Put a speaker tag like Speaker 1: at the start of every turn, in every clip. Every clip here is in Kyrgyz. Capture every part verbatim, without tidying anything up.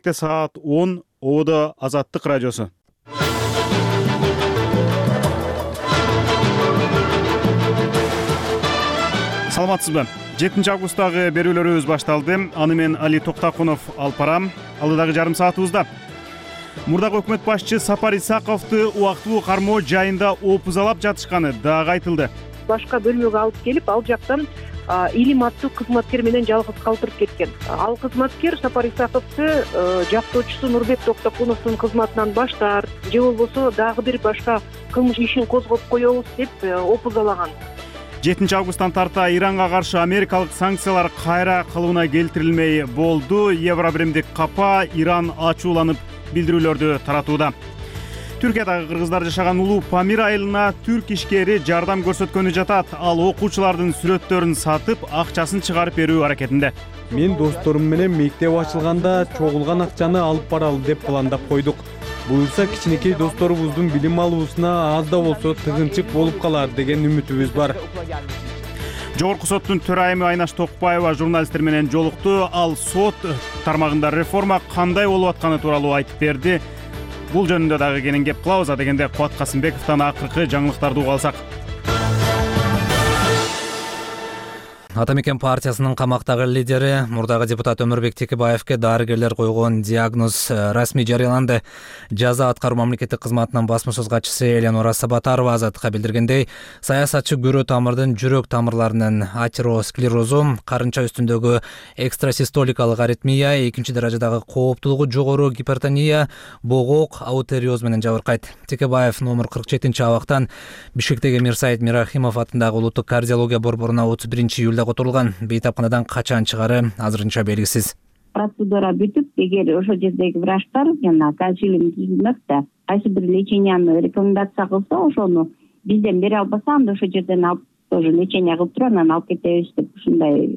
Speaker 1: Саат он Ободо Азаттык радиосу. Саламатсызбы? жетинчи августтагы берүүлөрүбүз башталды. Аны мен Али Токтакунов алып барам. Алдыдагы жарым саатыбызда мурдагы өкмөт башчы Сапар Исаковду убактылуу кармоо жайында опузалап жатышканы дагы айтылды.
Speaker 2: Башка бөлмөгө алып келип, ал жактан Илим аттуу кызматкер менен жалгыз калтырып кеткен. Ал кызматкер Сапар Исаковду жактоочусу Нурбек Токтокуновдун кызматынан баш тартып, же болбосо дагы бир башка кылмыш ишин козгоп коебуз деп опузалаган.
Speaker 1: жетинчи августтан тарта Иранга каршы америкалык санкциялар кайра кылыбына келтирилмей болду. Евробиримдик капа Иран ачууланып билдирүүлөрдү таратууда. Түркиядагы кыргыздар жашаган улуу Памир айылына түрк ишкери жардам көрсөткөнү жатат. Ал окуучулардын сүрөттөрүн сатып, акчасын чыгарып берүү аракетинде.
Speaker 3: Мен досторум менен мектеп ачылганда чогулган акчаны алып баралы деп пландап койдук. Буюрса кичинекей досторубуздун билим алуусуна аз да болсо тыгынчык болуп калар деген үмүтүбүз бар.
Speaker 1: Жогорку соттун төрайымы Айнаш Токпаева журналисттер менен жолукту. Ал сот тармагында реформа кандай болуп атканы тууралуу айтып берди. Бул жөнүндө дагы кенен кеп кылабыз. Дегенде Кубат Касымбековдон акыркы жаңылыктарды уга алсак.
Speaker 4: Ата мекен партиясынын камактагы лидери мурдагы депутат Өмүрбек Текебаевке дарыгерлер койгон диагноз расмий жарыяланды. Жаза аткаруу мамлекеттик кызматынын басма сөз катчысы Эленора Сабатарова Азаттыкка билдиргендей, саясатчы көрө тамырдын жүрөк тамырларынын атеросклерозу, карынча үстүндөгү экстрасистоликалык аритмия, экинчи даражадагы кооптуулугу жогору гипертония, боогок, аутериоз менен жабыркайт. Текебаев номер кырк жетинчи абактан Бишкектеги Мирсаид Мирахимов атындагы улуттук кардиология борборуна отуз биринчи июлда отурулган. Бейтапканадан качан чыгары азырынча белгисиз.
Speaker 5: Процедура бүтүп, эгер ошол жердеги врачтар жана консилиум түзүлмөк да кайсы бир леченияны рекомендация кылса, ошону бизден бере албаса, анда ошол жерден алып тоже лечение кылып туруп анан алып кетебиз деп ушундай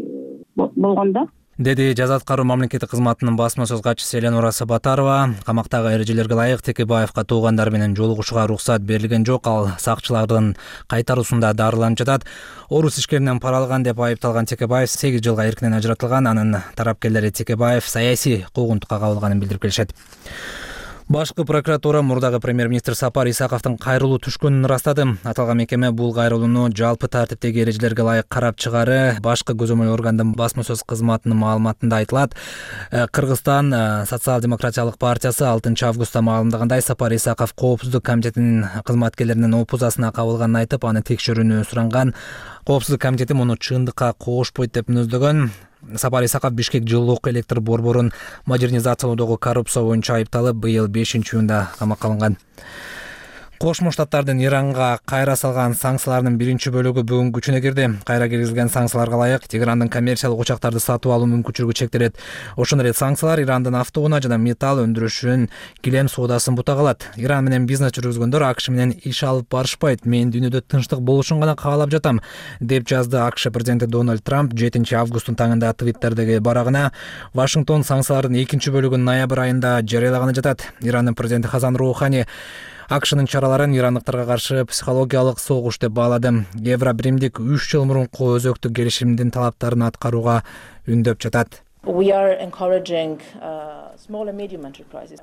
Speaker 5: болгондо,
Speaker 4: деди жаза аткаруу мамлекеттик кызматынын басма сөз катчысы Эленора Сабатарова. Камактагы эрежелерге ылайык Текебаевка туугандары менен жолугушууга уруксат берилген жок. Ал сакчылардын кайтаруусунда дарыланып жатат. Орус ишкеринен пара алган деп айыпталган Текебаев сегиз жылга эркинен ажыратылган. Анын тарапкерлери Текебаев саясий куугунтукка кабылганын билдирип келишет. Башкы прокуратура мурдагы премьер-министр Сапар Исаковдун кайрылуу түшкөнүн ырастады. Аталган мекеме бул кайрылууну жалпы тартиптеги эрежелерге ылайык карап чыгары башкы көзөмөл органдын басма сөз кызматынын маалыматында айтылат. Кыргызстан социал-демократиялык партиясы алтынчы августта маалымдагандай, Сапар Исаков коопсуздук комитетинин кызматкерлеринин опузасына кабылганын айтып, аны текшерүүнү суранган. Коопсуздук комитети муну чындыкка кошпойт деп мүнөздөгөн. Сапар Исаков Бишкек жылуулук электр борборун модернизациялоодогу коррупция боюнча айыпталып, быйыл бешинчи июнда камакка алынган. Кошмо Штаттардын Иранга кайра салган санкцияларынын биринчи бөлүгү бүгүн күчүнө кирди. Кайра киргизилген санкцияларга ылайык Тегерандын коммерциялык учактарды сатып алуу мүмкүнчүлүгү чектелет. Ошондой эле санкциялар Ирандын автоунаа жана металл өндүрүшүн, килем соодасын бута калат. Иран менен бизнес жүргүзгөндөр АКШ менен иш алып барышпайт. Мен дүйнөдө тынчтык болушун гана каалап жатам, деп жазды АКШ президенти Дональд Трамп жетинчи августтун таңында Твиттердеги барагына. Вашингтон санкциялардын экинчи бөлүгүн ноябрь айында жарыялаганы жатат. Ирандын президенти Хасан Роухани АКШнын чараларын ирандыктарга каршы психологиялык согуш деп баалады. Евробиримдик үч жыл мурунку өзөктүк келишимдин талаптарын аткарууга үндөп жатат.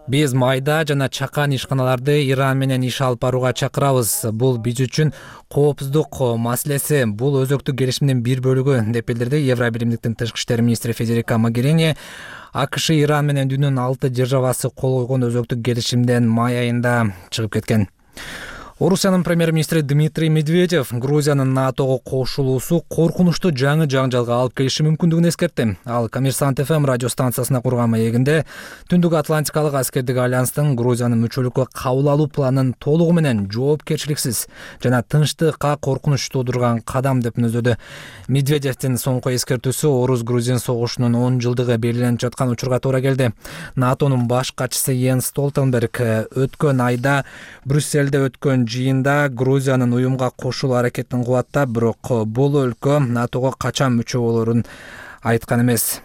Speaker 4: Биз майда жана чакан ишканаларды Иран менен иш алып барууга чакырабыз. Бул биз үчүн коопсуздук маселеси, бул өзөктүк келишимдин бир бөлүгү, деп билдирди Евробиримдиктин тышкы иштер министри Федерика Могерини. АКШ Иран менен дүйнөнүн алты державасы кол койгон өзөктүк келишимден май айында чыгып кеткен. Орусиянын премьер-министри Дмитрий Медведев Грузиянын НАТОго кошулуусу коркунучтуу жаңы жаңжалга алып келиши мүмкүндүгүн эскертти. Ал Коммерсант эф эм радио станциясына курган маегинде Түндүк Атлантикалык аскердик альянстын Грузиянын мүчөлүккө кабыл алуу планын толугу менен жоопкерчиликсиз жана тынчтыкка коркунуч туудурган кадам деп мүнөздөдү. Медведевдин соңку эскертүүсү Орус-Грузин согушунун он жылдыгы белгиленип жаткан учурга туура келди. НАТОнун баш катчысы Йенс Столтенберг өткөн айда Брюссельде өткөн жыйында Грузиянын уюмга кошулуу аракетин кубаттап, бирок бул өлкө НАТОго качан мүчө болорун айткан эмес.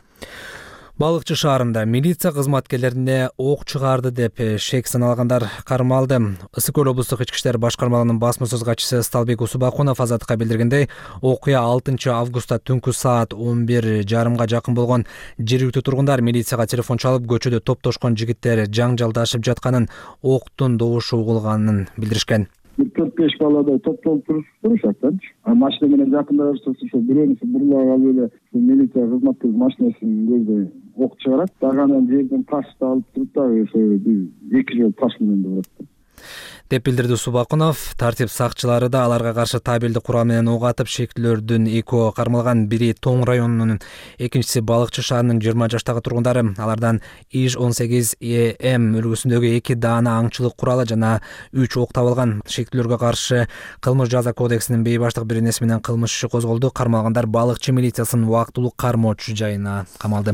Speaker 4: Балыкчы шаарында милиция кызматкерлерине ок чыгарды деп шек саналгандар кармалды. Ысык көл облустук ички иштер башкармалыгынын басма сөз катчысы Сталбек Усубакунов азаттыкка билдиргендей, окуя алтынчы августта түнкү саат он бир жарымга жакын болгон. Жергиликтүү тургундар милицияга телефон чалып, көчөдө топтошкон жигиттер жаңжалдашып жатканын, октун добушу угулганын билдиришкен.
Speaker 6: бир төрт беш баладай топтолуп турушат да. Машина менен жакындашса ошо бирөөнүсү бурлап алып эле милиция кызматкер машинасынын көздөй ок чыгарат. Дагы анан жерден ташты алып туруп дагы ошо эки жол таш менен да урат
Speaker 4: деп билдирди Субакунов. Тартип сакчылары да аларга каршы табелди курал менен ок атып, шектүүлөрдүн экөө кармалган. Бири Тоң районунун, экинчиси Балыкчы шаарынын жыйырма жаштагы тургундары. Алардан иш он сегиз Э М үлгүсүндөгү эки даана аңчылык куралы жана үч ок табылган. Шектүүлөргө каршы кылмыш жаза кодексинин бейбаштык беренеси менен кылмыш иши козголду. Кармалгандар Балыкчы милициясынын убактылуу кармоочу жайына камалды.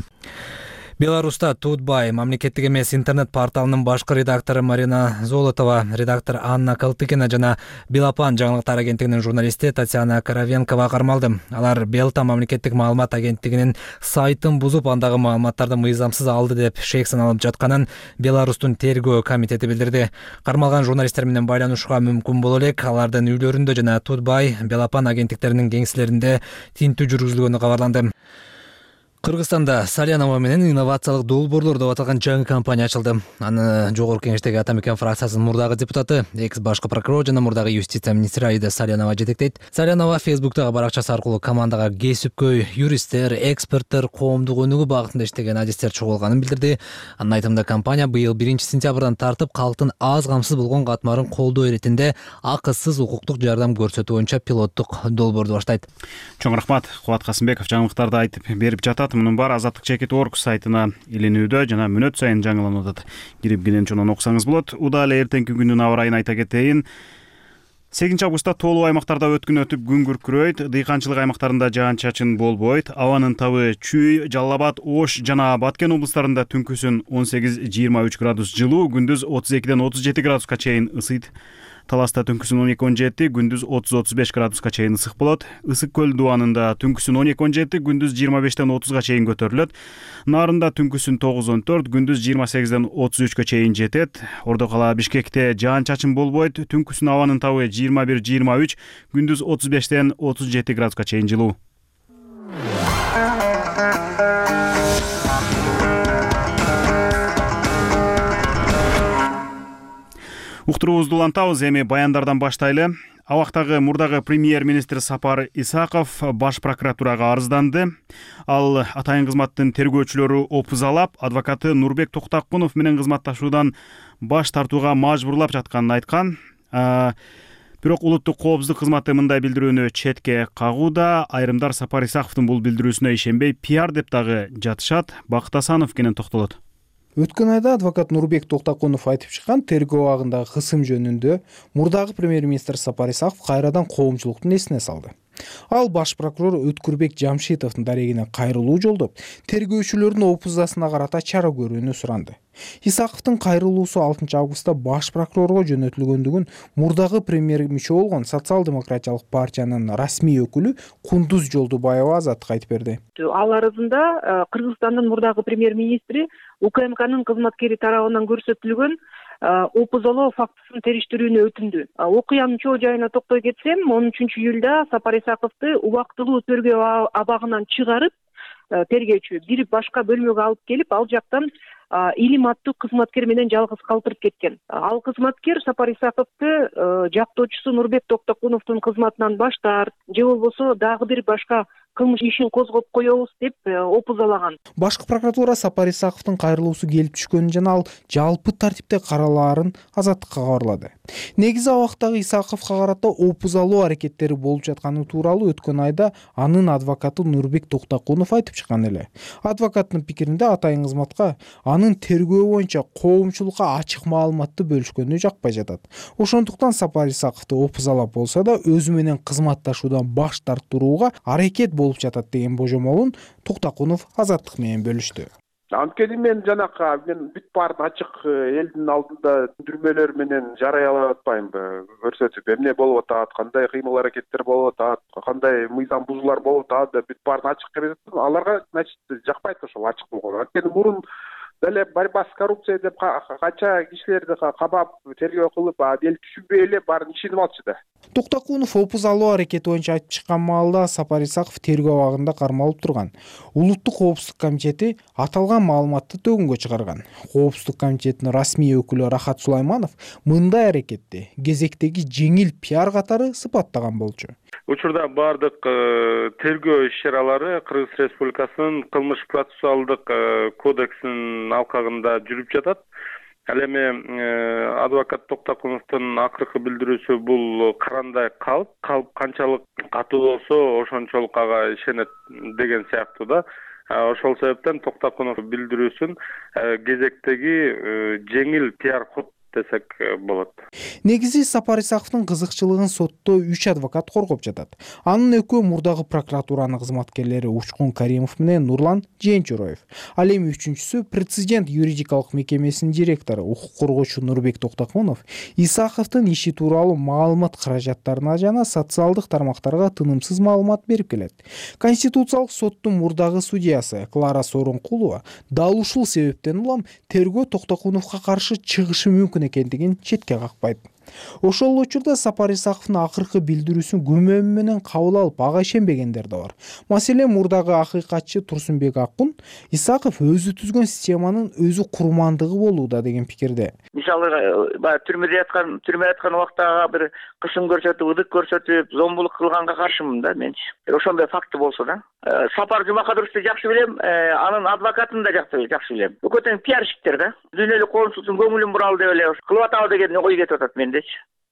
Speaker 4: Беларуста Тутбай мамлекеттик эмес интернет порталынын башкы редактору Марина Золотова, редактор Анна Калтыкина жана Белапан жаңылыктар агенттигинин журналисти Татьяна Коровенкова кармалды. Алар Белта мамлекеттик маалымат агенттигинин сайтын бузуп, андагы маалыматтарды мыйзамсыз алды деп шек саналып жатканын Беларустун тергөө комитети билдирди. Кармалган журналисттер менен байланышууга мүмкүн боло элек. Алардын үйлөрүндө жана Тутбай, Белапан агенттиктеринин кеңселеринде тинтүү жүргүзүлгөнү кабарланды. Кыргызстанда Салянова менен инновациялык долбоорлор деп аталган жаңы компания ачылды. Аны Жогорку Кеңештеги Ата Мекен фракциясынын мурдагы депутаты, экс башкы прокурор жана мурдагы юстиция министри Аида Салянова жетектейт. Салянова Фейсбуктагы баракчасы аркылуу командага кесипкөй юристтер, эксперттер, коомдук өнүгүү багытында иштеген адистер чогулганын билдирди. Анын айтымында компания быйыл биринчи сентябрдан тартып калктын аз камсыз болгон катмарын колдоо иретинде акысыз укуктук жардам көрсөтүү боюнча пилоттук долбоорду баштайт.
Speaker 1: Чоң рахмат. Кубат Касымбеков жаңылыктарды айтып берип жатат. Мунун баары азаттык чекит орг сайтына илинүүдө жана мүнөт сайын жаңыланып атат. Кирип кенен окусаңыз болот. Удал эле эртеңки күндүн аба ырайын айта кетейин. сегизинчи августта тоолуу аймактарда өткүн өтүп күн күркүрөйт. Дыйканчылык аймактарында жаан-чачын болбойт. Абанын табы Чүй, Жалал Абад, Ош жана Баткен облустарында түнкүсүн он сегиз жыйырма үч градус жылуу, күндүз отуз экиден отуз жети градуска чейин ысыйт. Таласта түнкүсүн он эки он жети, күндүз отуз отуз беш градуска чейин ысык болот. Ысык көл дубанында түнкүсүн он эки он жети, күндүз жыйырма бештен отузга чейин көтөрүлөт. Нарында түнкүсүн тогуз он төрт, күндүз жыйырма сегизден отуз үчкө чейин жетет. Ордо кала Бишкекте жаан-чачын болбойт. Түнкүсүн абанын табы жыйырма бир жыйырма үч, күндүз отуз бештен отуз жети градуска чейин жылуу. Уктуруубузду улантабыз, эми баяндардан баштайлы. Абактагы мурдагы премьер-министр Сапар Исаков баш прокуратурага арызданды. Ал атайын кызматтын тергөөчүлөрү опузалап, адвокаты Нурбек Токтокунов менен кызматташуудан баш тартууга мажбурлап жатканын айткан. Бирок улуттук коопсуздук кызматы мындай билдирүүнү четке кагууда. Айрымдар Сапар Исаковдун бул билдирүүсүнө ишенбей, пиар деп дагы жатышат. Бакыт Асанов кенен токтолот.
Speaker 7: Өткөн айда адвокат Нурбек Токтокунов айтып чыккан тергөө абагындагы кысым жөнүндө мурдагы премьер-министр Сапар Исаков кайрадан коомчулуктун эсине салды. Ал баш прокурор Өткүрбек Жамшитовдун дарегине кайрылуу жолдоп, тергөөчүлөрдүн опузасына карата чара көрүүнү суранды. Исаковдун кайрылуусу алтынчы августта баш прокурорго жөнөтүлгөндүгүн мурдагы премьер мүчө болгон Социал-демократиялык партиянын расмий өкүлү Кундуз Жолдубаева азаттыкка айтып берди.
Speaker 2: Ал арызында Кыргызстандын мурдагы премьер-министри УКМКнын кызматкери тарабынан көрсөтүлгөн опузалоо фактысын териштирүүнү өтүндү. Окуянын чоо жайына токтой кетсем, он үчүнчү июлда Сапар Исаковду убактылуу тергөө абагынан чыгарып, тергөөчү бир башка бөлмөгө алып келип, ал жактан Илим аттуу кызматкер менен жалгыз калтырып кеткен. Ал кызматкер Сапар Исаковду жактоочусу Нурбек Токтокуновдун кызматынан баш тарт, же болбосо дагы бир башка кылмыш ишин козгоп коебуз деп опузалаган.
Speaker 7: Башкы прокуратура Сапар Исаковдун кайрылуусу келип түшкөнүн жана ал жалпы тартипте каралаарын азаттыкка кабарлады. Негизи абактагы Исаковго карата опузалоо аракеттери болуп жатканы тууралуу өткөн айда анын адвокаты Нурбек Токтокунов айтып чыккан эле. Адвокаттын пикиринде атайын кызматка анын тергөө боюнча коомчулукка ачык маалыматты бөлүшкөнү жакпай жатат. Ошондуктан Сапар Исаковду опузалап болсо да өзү менен кызматташуудан баш тартууга аракет болуп жатат деген божомолун Токтокунов азаттык менен бөлүштү.
Speaker 8: Анткени мен жанакы мен бүт баарын ачык элдин алдында түндүрмөлөр менен жарыялап атпаймынбы, көрсөтүп эмне болуп атат, кандай кыймыл аракеттер болуп атат, кандай мыйзам бузуулар болуп атат деп бүт баарын ачык берип атам. Аларга значит жакпайт ошол ачык болгон. Анткени мурун деле борьба с коррупцией деп канча кишилерди кабап тергөө кылып, эл түшүнбөй эле баарын ишенип алчу да.
Speaker 7: Токтокунов опуз алуу аракети боюнча айтып чыккан маалда Сапар Исаков тергөө абагында кармалып турган. Улуттук коопсуздук комитети аталган маалыматты төгүнгө чыгарган. Коопсуздук комитетинин расмий өкүлү Рахат Сулайманов мындай аракетти кезектеги жеңил пиар катары сыпаттаган болчу.
Speaker 9: Учурда бардык тергөө иш-чаралары Кыргыз Республикасынын кылмыш процессуалдык кодексинин алкагында жүрүп жатат. Ал эми адвокат Токтокуновдун акыркы билдирүүсү бул карандай калп, калп канчалык катуу болсо ошончолук ага ишенет деген сыяктуу да. Ошол себептен Токтокунов билдирүүсүн кезектеги жеңил пиар ход десек болот.
Speaker 7: Негизи Сапар Исаковдун кызыкчылыгын сотто үч адвокат коргоп жатат. Анын экөө мурдагы прокуратуранын кызматкерлери Учкун Каримов менен Нурлан Жээнчуроев. Ал эми үчүнчүсү Президент юридикалык мекемесинин директору укук коргоочу Нурбек Токтокунов Исаковдун иши тууралуу маалымат каражаттарына жана социалдык тармактарга тынымсыз маалымат берип келет. Конституциялык соттун мурдагы судьясы Клара Сооронкулова дал ушул себептен улам тергөө Токтокуновго каршы чыгышы мүмкүн экендигин четке какпайт. Ошол учурда Сапар Исаковдун акыркы билдирүүсүн күмөн менен кабыл алып, ага ишенбегендер да бар. Маселен, мурдагы акыйкатчы Турсунбек Аккун Исаков өзү түзгөн системанын өзү курмандыгы болууда деген пикирде.
Speaker 10: Мисалы, баягы түрмөдө яткан, түрмөдө яткан убакта бир кысым көрсөтүп, ыдык көрсөтүп, зомбулук кылганга каршымын да мен. Ошондой факты болсо да. Сапар Жумакадыровду жакшы билем, анын адвокатын да жакшы билем. Бул тең пиарщиктер да. Дүйнөлүк коомчулуктун көңүлүн буралы деп эле кылып атабы деген ой кетип атат мендечи.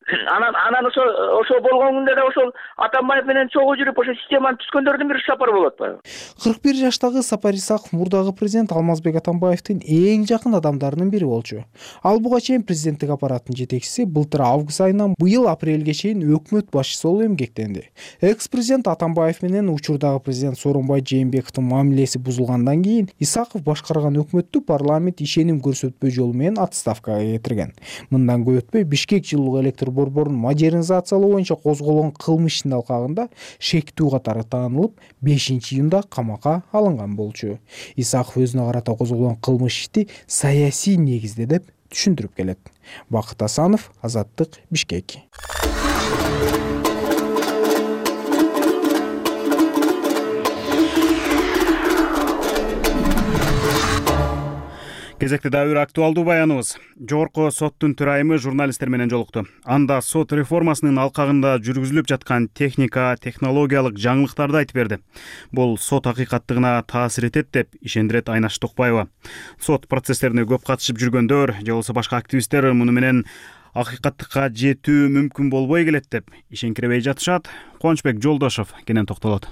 Speaker 10: Анан анан ошо ошо болгон күндө да ошол Атамбаев менен чогуу жүрүп ошо системаны түзгөндөрдүн бири Сапар болот атпайбы?
Speaker 7: кырк бир жаштагы Сапар Исаков мурдагы президент Алмазбек Атамбаевдин эң жакын адамдарынын бири болчу. Ал буга чейин президенттик аппараттын жетекчиси былтыр август айынан быйыл апрелге чейин өкмөт башчысы болуп эмгектенди. Экс-президент Атамбаев менен учурдагы президент Сооронбай Жээнбековдун мамилеси бузулгандан кийин Исаков башкарган өкмөттү парламент ишеним көрсөтпөө жолу менен отставкага кетирген. Мындан көп өтпөй Бишкек жылуу электр борборун модернизациялоо боюнча козголгон кылмыш ишинин алкагында шектүү катары таанылып, бешинчи июнда камакка алынган болчу. Исаков өзүнө карата козголгон кылмыш ишти саясий негизде деп түшүндүрүп келет. Бакыт Асанов, Азаттык, Бишкек.
Speaker 1: Кезекте дагы бир актуалдуу баяныбыз. Жогорку соттун төрайымы журналисттер менен жолукту. Анда сот реформасынын алкагында жүргүзүлүп жаткан техника, технологиялык жаңылыктарды айтып берди. Бул сот акыйкаттыгына таасир этет деп ишендирет Айнаш Токпаева. Сот процесстерине көп катышып жүргөндөр же болбосо башка активисттер муну менен акыйкаттыкка жетүү мүмкүн болбой келет деп ишенкиребей жатышат. Кубанычбек Жолдошов кенен токтолот.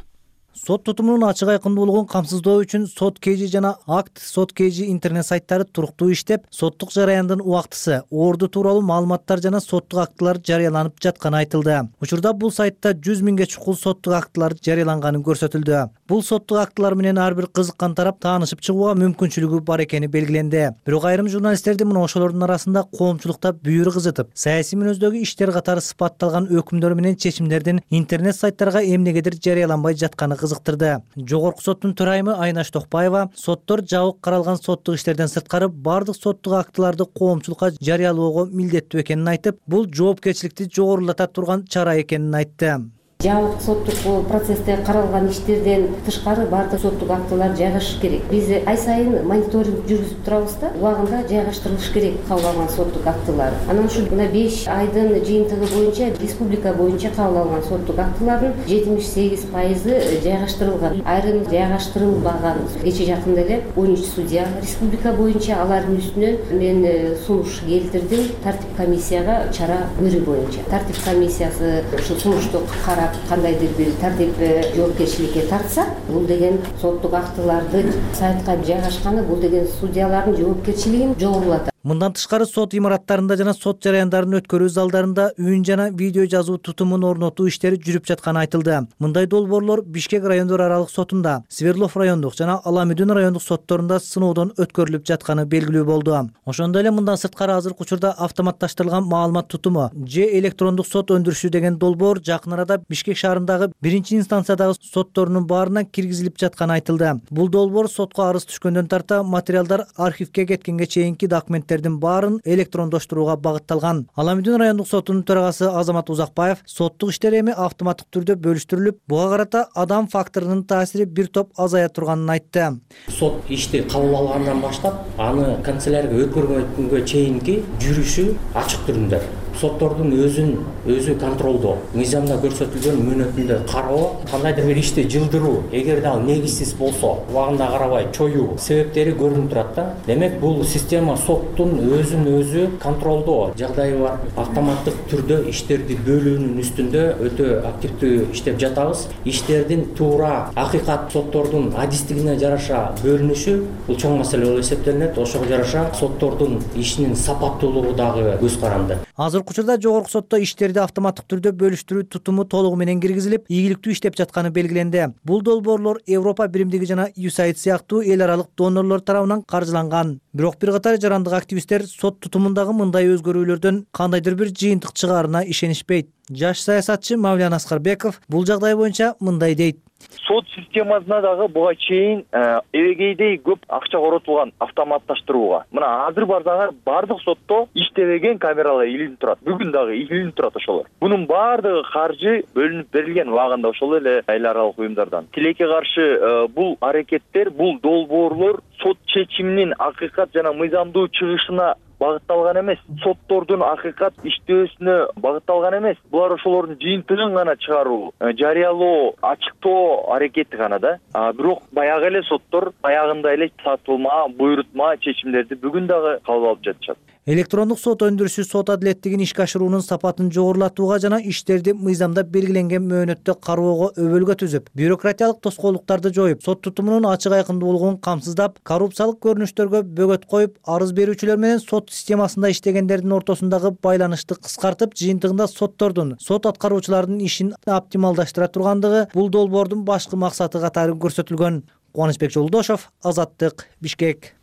Speaker 11: Сот тутумунун ачык айкындуу болгон камсыздоо үчүн Сот кж жана Акт Сот кж интернет сайттары туруктуу иштеп, соттук жараяндын убактысы, орду тууралуу маалыматтар жана соттук актылар жарыяланып жатканы айтылды. Учурда бул сайтта жүз миңге чукул соттук актылар жарыяланганы көрсөтүлдү. Бул соттук актылар менен ар бир кызыккан тарап таанышып чыгууга мүмкүнчүлүгү бар экени белгиленди. Бирок айрым журналисттерди мына ошолордун арасында коомчулукта бүйүр кызытып, саясий мүнөздөгү иштер катары сыпатталган өкүмдөр менен чечимдердин интернет сайттарга эмнегедир жарыяланбай жатканы кызыктырды. Жогорку соттун төрайымы Айнаш Токпаева соттор жабык каралган соттук иштерден сырткары бардык соттук актыларды коомчулукка жарыялоого милдеттүү экенин айтып, бул жоопкерчиликти жогорулата турган чара экенин айтты.
Speaker 12: Жабык соттук процессте каралган иштерден тышкары бардык соттук актылар жайгашыш керек. Биз ай сайын мониторинг жүргүзүп турабыз да, убагында жайгаштырылыш керек кабыл алган соттук актылар. Анан ушул мына беш айдын жыйынтыгы боюнча республика боюнча кабыл алган соттук актылардын жетимиш сегиз пайызы жайгаштырылган. Айрым жайгаштырылбаган. Кече жакында эле он үч судья республика боюнча алардын үстүнөн мен сунуш келтирдим тартип комиссияга чара көрүү боюнча. Тартип комиссиясы ушул сунушту карап кандайдыр бир тартип жоопкерчиликке тартса, бул деген соттук актыларды сайтка жайгашканы бул деген судьялардын жоопкерчилигин жогорулатат.
Speaker 11: Мындан тышкары сот имараттарында жана сот жараяндарын өткөрүү залдарында үн жана видео жазуу тутумун орнотуу иштери жүрүп жатканы айтылды. Мындай долбоорлор Бишкек райондор аралык сотунда, Свердлов райондук жана Аламүдүн райондук сотторунда сыноодон өткөрүлүп жатканы белгилүү болду. Ошондой эле мындан сырткары азыркы учурда автоматташтырылган маалымат тутуму же электрондук сот өндүрүшү деген долбоор жакын арада Бишкек шаарындагы биринчи инстанциядагы сотторунун баарына киргизилип жатканы айтылды. Бул долбоор сотко арыз түшкөндөн тарта материалдар архивге кеткенге чейинки документтердин баарын электрондоштурууга багытталган. Аламүдүн райондук сотунун төрагасы Азамат Узакбаев соттук иштер эми автоматтык түрдө бөлүштүрүлүп, буга карата адам факторунун таасири бир топ азая турганын айтты.
Speaker 13: Сот ишти кабыл алгандан баштап аны канцелярияга өткөргөнгө чейинки жүрүшү ачык түрүндө. Соттордун өзүн өзү контролдоо, мыйзамда көрсөтүлгөн мөөнөтүндө кароо, кандайдыр бир ишти жылдыруу, эгерде ал негизсиз болсо, убагында карабай чоюу себептери көрүнүп турат да. Демек бул система соттун өзүн өзү контролдоо жагдайы бар. Автоматтык түрдө иштерди бөлүүнүн үстүндө өтө активдүү иштеп жатабыз. Иштердин туура акыйкат соттордун адистигине жараша бөлүнүшү бул чоң маселе болуп эсептелинет. Ошого жараша соттордун ишинин сапаттуулугу дагы көз каранды.
Speaker 11: Азыркы учурда жогорку сотто иштерди автоматтык түрдө бөлүштүрүү тутуму толугу менен киргизилип, ийгиликтүү иштеп жатканы белгиленди. Бул долбоорлор Европа биримдиги жана ю эс эй ай ди сыяктуу эл аралык донорлор тарабынан каржыланган. Бирок бир катар жарандык активисттер сот тутумундагы мындай өзгөрүүлөрдөн кандайдыр бир жыйынтык чыгаарына ишенишпейт. Жаш саясатчы Мавлян Аскарбеков бул жагдай боюнча мындай дейт.
Speaker 14: Сот системасына дагы буга чейин эбегейдей көп акча коротулган автоматташтырууга. Мына азыр барсаңар бардык сотто иштебеген камералар илинип турат. Бүгүн дагы илинип турат ошолор. Бунун баардыгы каржы бөлүнүп берилген убагында ошол эле эл аралык уюмдардан. Тилекке каршы бул аракеттер, бул долбоорлор сот чечиминин акыйкат жана мыйзамдуу чыгышына багытталган эмес, соттордун акыйкат иштөөсүнө багытталган эмес. Булар ошолордун жыйынтыгын гана чыгаруу, жарыялоо, ачыктоо аракети гана да. Бирок баягы эле соттор баягындай эле сатылма, буйрутма чечимдерди бүгүн дагы кабыл алып жатышат.
Speaker 11: Электрондук сот өндүрүшү сот адилеттигин ишке ашыруунун сапатын жогорулатууга жана иштерди мыйзамда белгиленген мөөнөттө кароого өбөлгө түзүп, бюрократиялык тоскоолдуктарды жоюп, сот тутумунун ачык айкындуулугун камсыздап, коррупциялык көрүнүштөргө бөгөт коюп, арыз берүүчүлөр менен сот системасында иштегендердин ортосундагы байланышты кыскартып, жыйынтыгында соттордун, сот аткаруучулардын ишин оптималдаштыра тургандыгы бул долбоордун башкы максаты катары көрсөтүлгөн. Кубанычбек Жолдошов, Азаттык, Бишкек.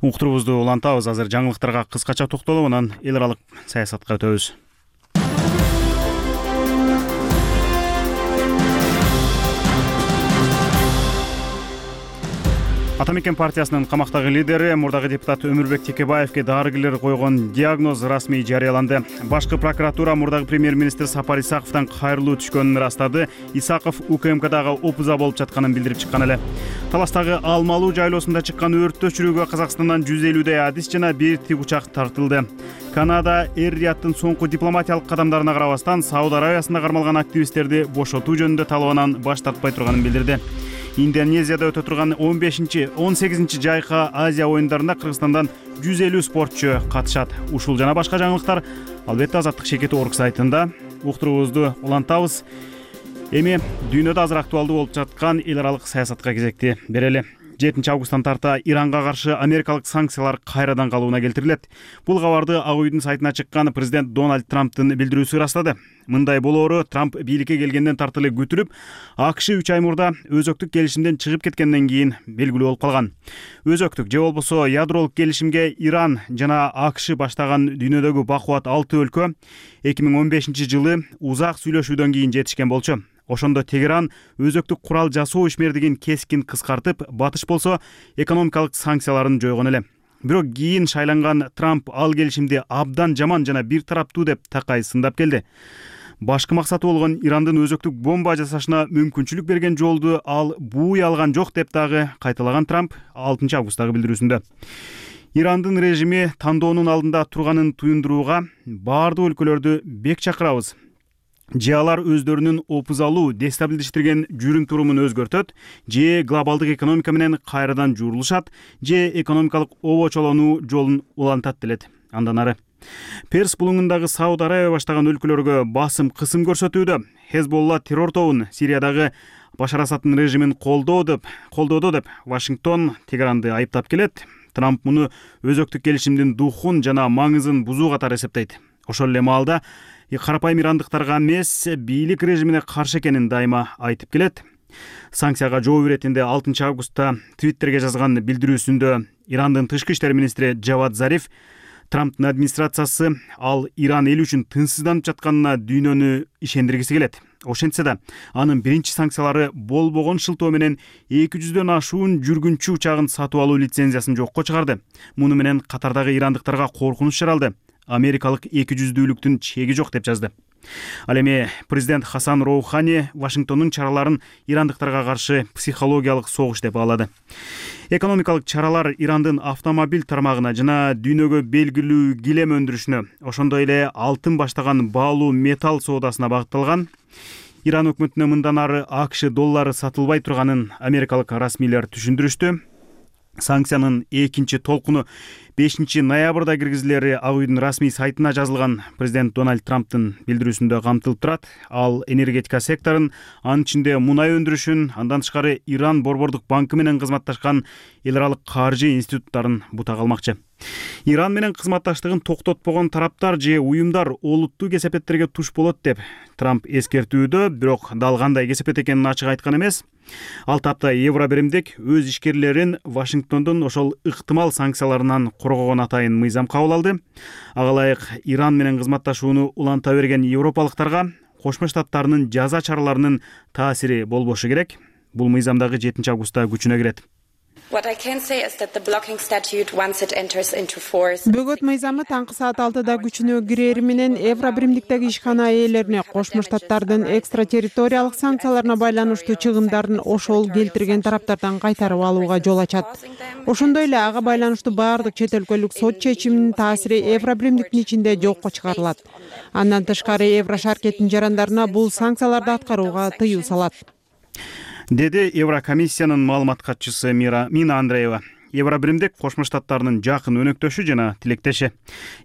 Speaker 1: Уктурубузду улантабыз. Азыр жаңылыктарга кыскача токтолуп, анан эл аралык саясатка өтөбүз. Ата мекен партиясынын камактагы лидери, мурдагы депутат Өмүрбек Текебаевге дарыгерлер койгон диагноз расмий жарыяланды. Башкы прокуратура мурдагы премьер-министр Сапар Исаковдон кайрылуу түшкөнүн ырастады. Исаков У К М Кдагы опуза болуп жатканын билдирип чыккан эле. Таластагы Алмалуу жайлоосунда чыккан өрттү өчүрүүгө Казакстандан жүз элүүдөй адис жана бир тигучак тартылды. Канада Эр-Рияттын соңку дипломатиялык кадамдарына карабастан Сауд Аравиясында кармалган активисттерди бошотуу жөнүндө талабынан баш тартпай турганын билдирди. Индонезияда өтө турган он бешинчи он сегизинчи жайкы Азия оюндарында Кыргызстандан жүз элүү спортчу катышат. Ушул жана башка жаңылыктар албетте Азаттык Шекет Орг сайтында. Уктурубузду улантабыз. Эми дүйнөдө азыр актуалдуу болуп жаткан эл аралык саясатка кезекти берели. жетинчи августтан тарта Иранга каршы америкалык санкциялар кайрадан калыбына келтирилет. Бул кабарды Ак үйдүн сайтына чыккан президент Дональд Трамптын билдирүүсү ырастады. Мындай болоору Трамп бийликке келгенден тарты эле күтүлүп, ак ш үч ай мурда өзөктүк келишимден чыгып кеткенден кийин белгилүү болуп калган. Өзөктүк же болбосо ядролук келишимге Иран жана ак ш баштаган дүйнөдөгү бакубат алты өлкө эки миң он бешинчи жылы узак сүйлөшүүдөн кийин жетишкен болчу. Ошондо Тегеран өзөктүк курал жасоо ишмердигин кескин кыскартып, Батыш болсо экономикалык санкцияларын жойгон эле. Бирок кийин шайланган Трамп ал келишимди абдан жаман жана бир тараптуу деп такай сындап келди. Башкы максаты болгон Ирандын өзөктүк бомба жасашына мүмкүнчүлүк берген жолду ал бууй алган жок деп дагы кайталаган Трамп алтынчы августтагы билдирүүсүндө. Ирандын режими тандоонун алдында турганын туюндурууга баардык өлкөлөрдү бек чакырабыз. Же алар өздөрүнүн опузалуу дестабилдештирген жүрүм турумун өзгөртөт, же глобалдык экономика менен кайрадан журулушат, же экономикалык обочолонуу жолун улантат делет. Андан ары Перс булуңундагы Сауд Аравия баштаган өлкөлөргө басым кысым көрсөтүүдө. Хезболла террор тобун Сириядагы Башар Асаддын режимин колдоо деп, колдоодо деп Вашингтон Тегеранды айыптап келет. Трамп муну өзөктүк келишимдин духун жана маңызын бузуу катары эсептейт. Ошол эле маалда карапайым ирандыктарга эмес, бийлик режимине каршы экенин дайыма айтып келет. Санкцияга жооп иретинде алтынчы августта Твиттерге жазган билдирүүсүндө Ирандын тышкы иштер министри Джавад Зариф Трамптын администрациясы ал Иран эл үчүн тынчсызданып жатканына дүйнөнү ишендиргиси келет. Ошентсе да анын биринчи санкциялары болбогон шылтоо менен эки жүздөн ашуун жүргүнчү учагын сатып алуу лицензиясын жокко чыгарды. Муну менен катардагы ирандыктарга коркунуч жаралды. Америкалык эки жүздүүлүктүн чеги жок деп жазды. Ал эми президент Хасан Роухани Вашингтондун чараларын ирандыктарга каршы психологиялык согуш деп баалады. Экономикалык чаралар Ирандын автомобиль тармагына жана дүйнөгө белгилүү килем өндүрүшүнө, ошондой эле алтын баштаган баалуу металл соодасына багытталган. Иран өкмөтүнө мындан ары АКШ доллары сатылбай турганын америкалык расмийлер түшүндүрүштү. Санкциянын экинчи толкуну бешинчи ноябрда киргизилери Ак үйдүн расмий сайтына жазылган президент Дональд Трамптын билдирүүсүндө камтылып турат. Ал энергетика секторун, анын ичинде мунай өндүрүшүн, андан тышкары Иран борбордук банкы менен кызматташкан эл аралык каржы институттарын бута калмакчы. Иран менен кызматташтыгын токтотпогон тараптар же уюмдар олуттуу кесепеттерге туш болот деп Трамп эскертүүдө, бирок дал кандай кесепет экенин ачык айткан эмес. Ал тапта Евробиримдик өз ишкерлерин Вашингтондун ошол ыктымал санкцияларынан коргогон атайын мыйзам кабыл алды. Ага ылайык Иран менен кызматташууну уланта берген европалыктарга Кошмо Штаттарынын жаза чараларынын таасири болбошу керек. Бул мыйзам дагы жетинчи августта күчүнө кирет.
Speaker 15: Бөгөт мыйзамы таңкы саат алтыда күчүнө кирери менен Евробиримдиктеги ишкана ээлерине Кошмо Штаттардын экстратерриториялык санкцияларына байланыштуу чыгымдарын ошол келтирген тараптардан кайтарып алууга жол ачат. Ошондой эле ага байланыштуу баардык чет өлкөлүк сот чечиминин таасири Евробиримдиктин ичинде жокко чыгарылат. Андан тышкары Еврошаркеттин жарандарына бул санкцияларды аткарууга тыюу салат,
Speaker 1: деди Еврокомиссиянын маалымат катчысы Мина Андреева. Евробиримдик Кошмо Штаттарынын жакын өнөктөшү жана тилектеши.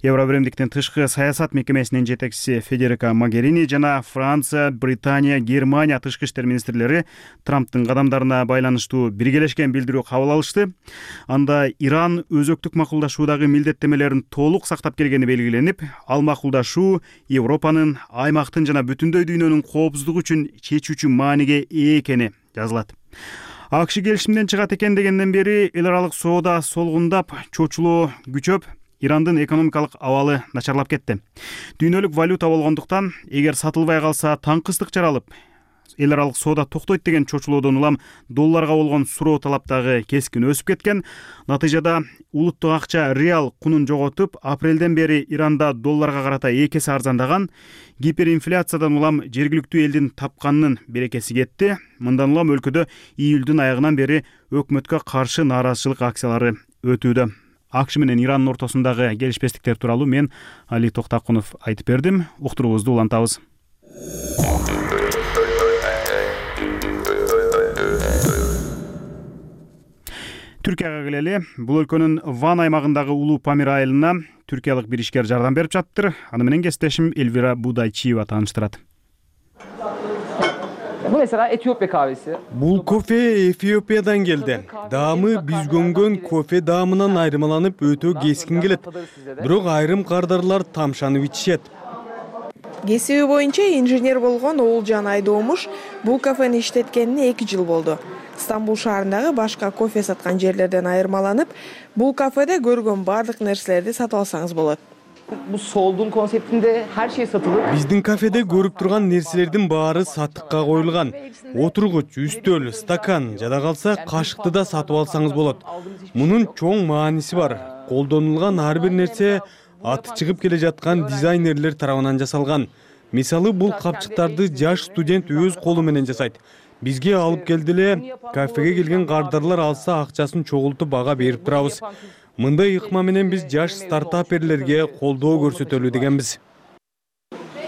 Speaker 1: Евробиримдиктин тышкы саясат мекемесинин жетекчиси Федерика Могерини жана Франция, Британия, Германия тышкы иштер министрлери Трамптын кадамдарына байланыштуу биргелешкен билдирүү кабыл алышты. Анда Иран өзөктүк макулдашуудагы милдеттемелерин толук сактап келгени белгиленип, ал макулдашуу Европанын, аймактын жана бүтүндөй дүйнөнүн коопсуздугу үчүн чечүүчү мааниге ээ экени жазылат. АКШ келишимден чыгат экен дегенден бери эл аралык соода солгундап, чочулоо күчөп, Ирандын экономикалык абалы начарлап кетти. Дүйнөлүк валюта болгондуктан, эгер сатылбай калса таңкыстык жаралып, эл аралык соода токтойт деген чочулоодон улам долларга болгон суроо талап дагы кескин өсүп кеткен. Натыйжада улуттук акча реал кунун жоготуп, апрелден бери Иранда долларга карата эки эсе арзандаган. Гиперинфляциядан улам жергиликтүү элдин тапканынын берекеси кетти. Мындан улам өлкөдө июлдун аягынан бери өкмөткө каршы нааразычылык акциялары өтүүдө. АКШ менен Ирандын ортосундагы келишпестиктер тууралуу мен Али Токтакунов айтып бердим. Уктуруубузду улантабыз. Түркияга келели. Бул өлкөнүн Ван аймагындагы Улуу Памир айылына түркиялык бир ишкер жардам берип жаттыр. Аны менен кесиптешим Элвира Будайчиева тааныштырат.
Speaker 16: Bu mesela Etiyopya kahvesi.
Speaker 3: Бул кофе Эфиопиядан келди. Даамы биз көңгөн кофе даамынан айырмаланып өтө кескин келет. Бирок айрым кардарлар тамшанып ичишет.
Speaker 15: Кесиби боюнча инженер болгон Оолжан Айдоомуш бул кафени иштеткенине эки жыл болду. Стамбул шаарындагы башка кофе саткан жерлерден айырмаланып, бул кафеде көргөн бардык нерселерди сатып алсаңыз болот.
Speaker 16: Bu solduğun konseptinde her şey satılır.
Speaker 3: Биздин кафеде көрүп турган нерселердин баары сатыкка коюлган. Отургуч, үстөл, стакан, жада калса кашыкты да сатып алсаңыз болот. Мунун чоң мааниси бар. Колдонулган ар бир нерсе аты чыгып келе жаткан дизайнерлер тарабынан жасалган. Мисалы бул капчыктарды жаш студент өз колу менен жасайт. Бизге алып келди эле, кафеге келген кардарлар алса акчасын чогултуп бага берип турабыз. Мындай ыкма менен биз жаш стартаперлерге колдоо көрсөтөлү дегенбиз.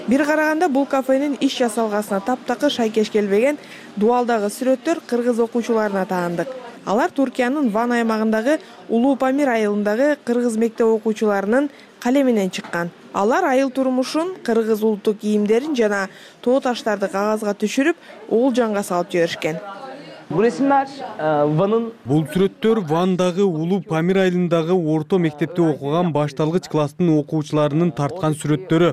Speaker 15: Бир караганда бул кафенин иш жасалгасына таптакыр шайкеш келбеген дуалдагы сүрөттөр кыргыз окуучуларына таандык. Алар Туркиянын Ван аймагындагы Улуу Памир айылындагы кыргыз мектеп окуучуларынын калеминен чыккан. Алар айыл турмушун, кыргыз улуттук кийимдерин жана тоо таштарды кагазга түшүрүп, Оолжанга салып жиберишкен.
Speaker 16: Bu resimler Van'ın
Speaker 3: Бул сүрөттөр Вандагы Улуу Памир айылындагы орто мектепте окуган башталгыч класстын окуучуларынын тарткан сүрөттөрү.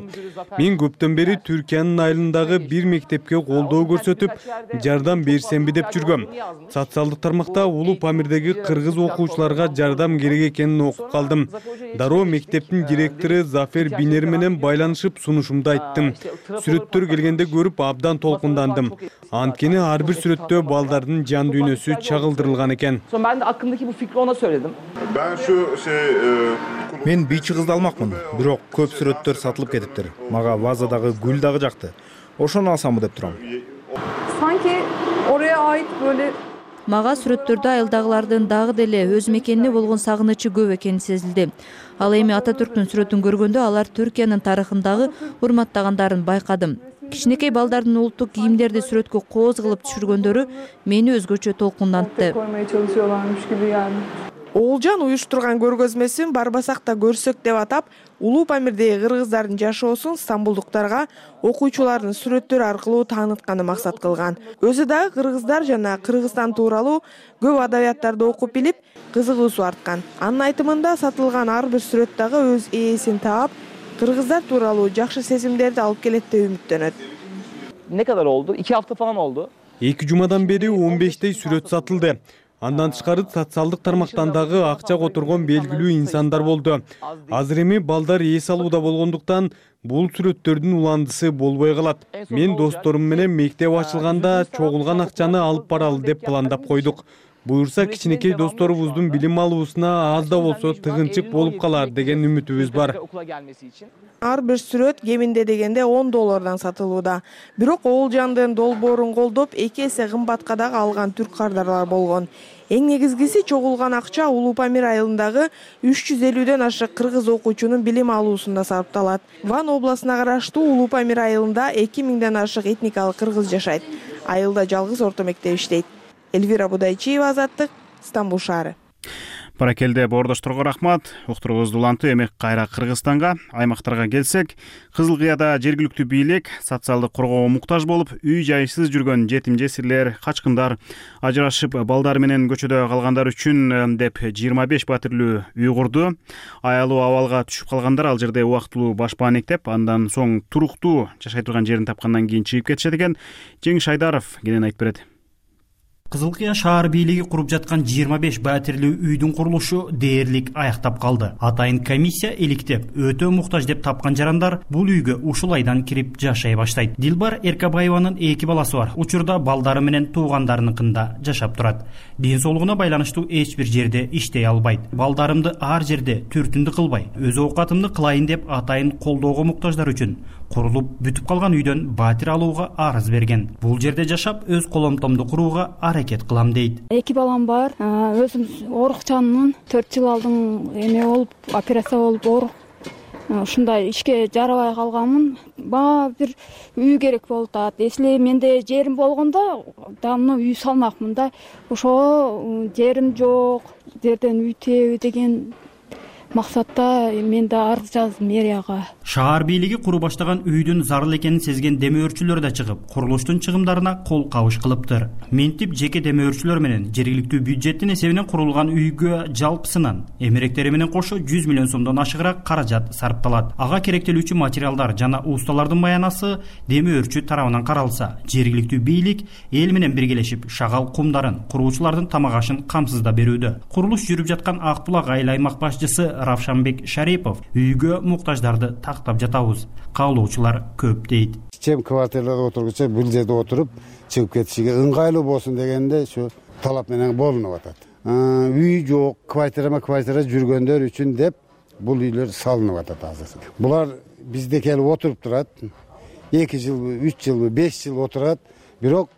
Speaker 3: Мен көптөн бери Түркиянын айылындагы бир мектепке колдоо көрсөтүп, жардам берсемби деп жүргөм. Социалдык тармакта Улуу Памирдеги кыргыз окуучуларга жардам керек экенин окуп калдым. Дароо мектептин директору Зафер Бинер менен байланышып сунушумду айттым. Сүрөттөр келгенде көрүп абдан толкундандым. Анткени ар бир сүрөттө балдардын жан дүйнөсү чагылдырылган экен.
Speaker 16: Sonra ben de aklımdaki bu fikri ona söyledim.
Speaker 17: Ben şu şey
Speaker 18: Мен бийчи кызды алмакмын, бирок көп сүрөттөр сатылып кетиптир. Мага вазадагы гүл дагы жакты. Ошону алсамбы деп турам.
Speaker 19: Sanki oraya ait böyle
Speaker 20: Мага сүрөттөрдө айылдагылардын дагы деле өз мекенине болгон сагынычы көп экени сезилди. Ал эми Ататүрктүн сүрөтүн көргөндө алар Түркиянын тарыхындагы урматтагандарын байкадым. Кичинекей балдардын улуттук кийимдерди сүрөткө кооз кылып түшүргөндөрү мени өзгөчө толкундантты.
Speaker 19: Оолжан уюштурган көргөзмөсүн барбасак да көрсөк деп атап, Улуу Памирдеги кыргыздардын жашоосун стамбулдуктарга окуучулардын сүрөттөрү аркылуу таанытканды максат кылган. Өзү дагы кыргыздар жана Кыргызстан тууралуу көп адабияттарды окуп билип, кызыгуусу арткан. Анын айтымында сатылган ар бир сүрөт дагы өз ээсин таап, кыргыздар тууралуу жакшы сезимдерди алып келет деп үмүттөнөт.
Speaker 16: Ne kadar oldu? İki hafta falan oldu.
Speaker 3: эки жумадан бери он бештей сүрөт сатылды. Андан тышкары социалдык тармактан дагы акча которгон белгилүү инсандар болду. Азыр эми балдар эс алууда болгондуктан бул сүрөттөрдүн уландысы болбой калат. Мен досторум менен мектеп ачылганда чогулган акчаны алып баралы деп пландап койдук. Буюрса кичинекей досторубуздун билим алуусуна аз да болсо тыгынчык болуп калар деген үмүтүбүз бар.
Speaker 19: Ар бир сүрөт кеминде дегенде он доллардан сатылууда. Бирок Оолжандын долбоорун колдоп эки эсе кымбатка дагы алган түрк кардарлар болгон. Эң негизгиси чогулган акча Улуу Памир айылындагы үч жүз элүүдөн ашык кыргыз окуучунун билим алуусунда сарпталат. Ван областына караштуу Улуу Памир айылында эки миңден ашык этникалык кыргыз жашайт. Айылда жалгыз орто мектеп иштейт. Эльвира Будайчиева, Азаттык, Стамбул шаары.
Speaker 1: Баракелде боордошторго рахмат. Уктуруубузду улантуу эми кайра Кыргызстанга, аймактарга келсек, Кызыл Кыяда жергиликтүү бийлик социалдык коргоого муктаж болуп, үй жайсыз жүргөн жетим жесирлер, качкындар, ажырашып балдар менен көчөдө калгандар үчүн деп жыйырма беш батирлүү үй курду. Аялуу абалга түшүп калгандар ал жерде убактылуу башпаанектеп, андан соң туруктуу жашай турган жерин тапкандан кийин чыгып кетишет экен. Жеңиш Айдаров кенен айтып берет.
Speaker 21: Кызыл Кыя шаар бийлиги куруп жаткан жыйырма беш батирлүү үйдүн курулушу дээрлик аяктап калды. Атайын комиссия иликтеп, өтө муктаж деп тапкан жарандар бул үйгө ушул айдан кирип жашай баштайт. Дилбар Эркабаеванын эки баласы бар. Учурда балдары менен туугандарыныкында жашап турат. Ден соолугуна байланыштуу эч бир жерде иштей албайт. Балдарымды ар жерде түртүндү кылбай, өз оокатымды кылайын деп атайын колдоого муктаждар үчүн курулуп бүтүп калган үйдөн батир алууга арыз берген. Бул жерде жашап, өз коломтомду курууга аракет кылам дейт.
Speaker 22: Эки балам бар. Өзүм оорукчанмын. төрт жыл алдын эме болуп, операция болуп оорук. Ушундай ишке жарабай калганмын. Баа бир үй керек болуп атат. Если менде жерим болгондо, давно үй салмакмын да. Ошо жерим жок. Жерден үй теби деген максатта мен да арыз жаздым мэрияга.
Speaker 21: Шаар бийлиги куру баштаган үйдүн зарыл экенин сезген демөөрчүлөр да чыгып, курулуштун чыгымдарына кол кабыш кылыптыр. Ментип жеке демөөрчүлөр менен жергиликтүү бюджеттин эсебинен курулган үйгө жалпысынан эмеректери менен кошо жүз миллион сомдон ашыгыраак каражат сарпталат. Ага керектелүүчү материалдар жана усталардын маянасы демөөрчү тарабынан каралса, жергиликтүү бийлик эл менен биргелешип шагал кумдарын, куруучулардын тамак ашын камсыздап берүүдө. Курулуш жүрүп жаткан Ак Булак айыл аймак башчысы Равшанбек Шарипов үйгө муктаждарды тактап жатабыз. Каалоочулар көп дейт.
Speaker 23: Чем квартирада отургуча бул жерде отуруп чыгып кетишиге ыңгайлуу болсун дегенде ушу талап менен болунуп атат. Үй жок, квартирама квартира жүргөндөр үчүн деп бул үйлөр салынып атат азыр. Булар бизде келип отуруп турат. эки жылбы, үч жылбы, беш жыл отурат. Бирок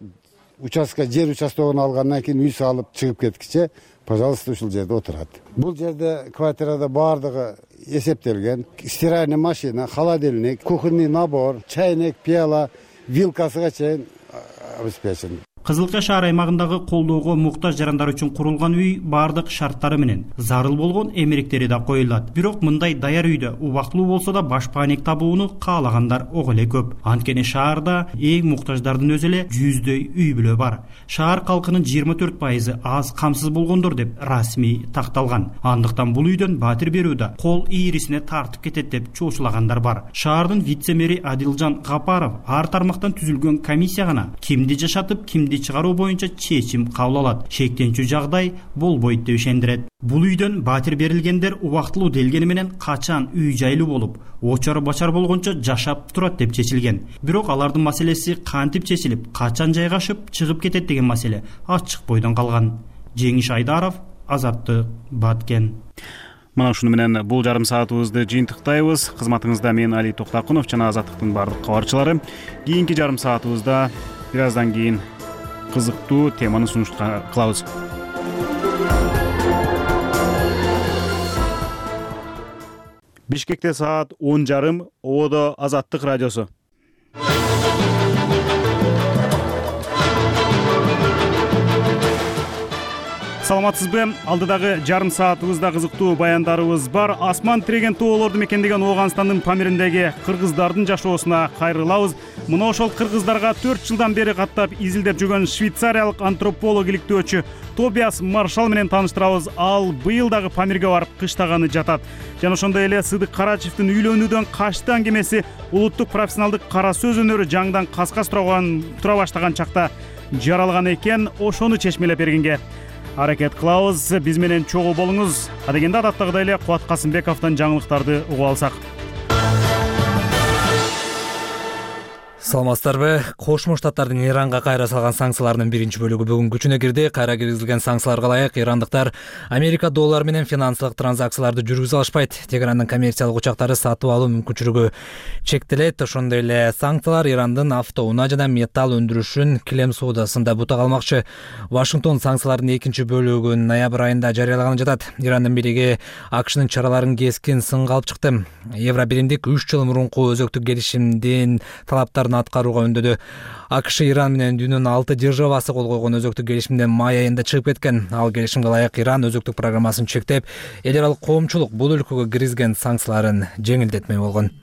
Speaker 23: участка жер участогун алгандан кийин үй салып чыгып кеткиче пожалуйста ушул жерде отурат. Бул жерде квартирада баардыгы эсептелген. Стиральный машина, холодильник, кухонный набор, чайник, пиала, вилкасыга чейин обеспечен.
Speaker 21: Кызыл Кая шаар аймагындагы колдоого муктаж жарандар үчүн курулган үй баардык шарттары менен зарыл болгон эмеректери да коюлат. Бирок мындай даяр үйдө убактылуу болсо да баш паник табууну каалагандар ого эле көп. Анткени шаарда эң муктаждардын өзү эле жүздөй үй бүлө бар. Шаар калкынын жыйырма төрт пайызы аз камсыз болгондор деп расмий такталган. Андыктан бул үйдөн батир берүү да кол ийрисине тартып кетет деп чоочулагандар бар. Шаардын вице-мэри Адилжан Гапаров ар тармактан түзүлгөн комиссия гана кимди жашатып, кимди чыгаруу боюнча чечим кабыл алат. Шектенчү жагдай болбойт деп ишендирет. Бул үйдөн батир берилгендер убактылуу делгени менен качан үй жайлуу болуп, очор бачар болгончо жашап турат деп чечилген. Бирок алардын маселеси кантип чечилип, качан жайгашып чыгып кетет деген маселе ачык бойдон калган. Жеңиш Айдаров, Азаттык, Баткен.
Speaker 1: Мына ушуну менен бул жарым саатыбызды жыйынтыктайбыз. Кызматыңызда мен Али Токтакунов жана Азаттыктын бардык кабарчылары. Кийинки жарым саатыбызда бир аздан кийин кызыктуу теманы сунуш кылабыз. Бишкекте саат он жарым, Ободо Азаттык радиосу. Саламатсызбы? Алдыдагы жарым саатыбызда кызыктуу баяндарыбыз бар. Асман тиреген тоолорду мекендеген Ооганстандын Памириндеги кыргыздардын жашоосуна кайрылабыз. Мына ошол кыргыздарга төрт жылдан бери каттап изилдеп жүргөн швейцариялык антрополог иликтөөчү Тобиас Маршал менен тааныштырабыз. Ал быйыл дагы Памирге барып кыштаганы жатат. Жана ошондой эле Сыдык Карачевдин үйлөнүүдөн качты аңгемеси улуттук профессионалдык кара сөз өнөрү жаңдан каскас тура баштаган чакта жаралган экен. Ошону чечмелеп бергенге аракет кылабыз. Биз менен чогуу болуңуз. Адегенде адаттагыдай эле Кубат Касымбековдон жаңылыктарды угуп алсак.
Speaker 4: Саламатсыздарбы? Кошмо Штаттардын Иранга кайра салган санкцияларынын биринчи бөлүгү бүгүн күчүнө кирди. Кайра киргизилген санкцияларга ылайык ирандыктар Америка доллары менен финансылык транзакцияларды жүргүзө алышпайт. Тегерандын коммерциялык учактары сатып алуу мүмкүнчүлүгү чектелет. Ошондой эле санкциялар Ирандын автоунаа жана металл өндүрүшүн килем соодасында бута калмакчы. Вашингтон санкциялардын экинчи бөлүгүн ноябрь айында жарыялаганы жатат. Ирандын бийлиги АКШнын чараларын кескин сынга алып чыкты. Евробиримдик үч жыл мурунку өзөктүк келишимдин талаптарын аткарууга үндөдү. АКШ Иран менен дүйнөнүн алты державасы кол койгон өзөктүк келишимден май айында чыгып кеткен. Ал келишимге ылайык Иран өзөктүк программасын чектеп, эл аралык коомчулук бул өлкөгө киргизген санкцияларын жеңилдетмей болгон.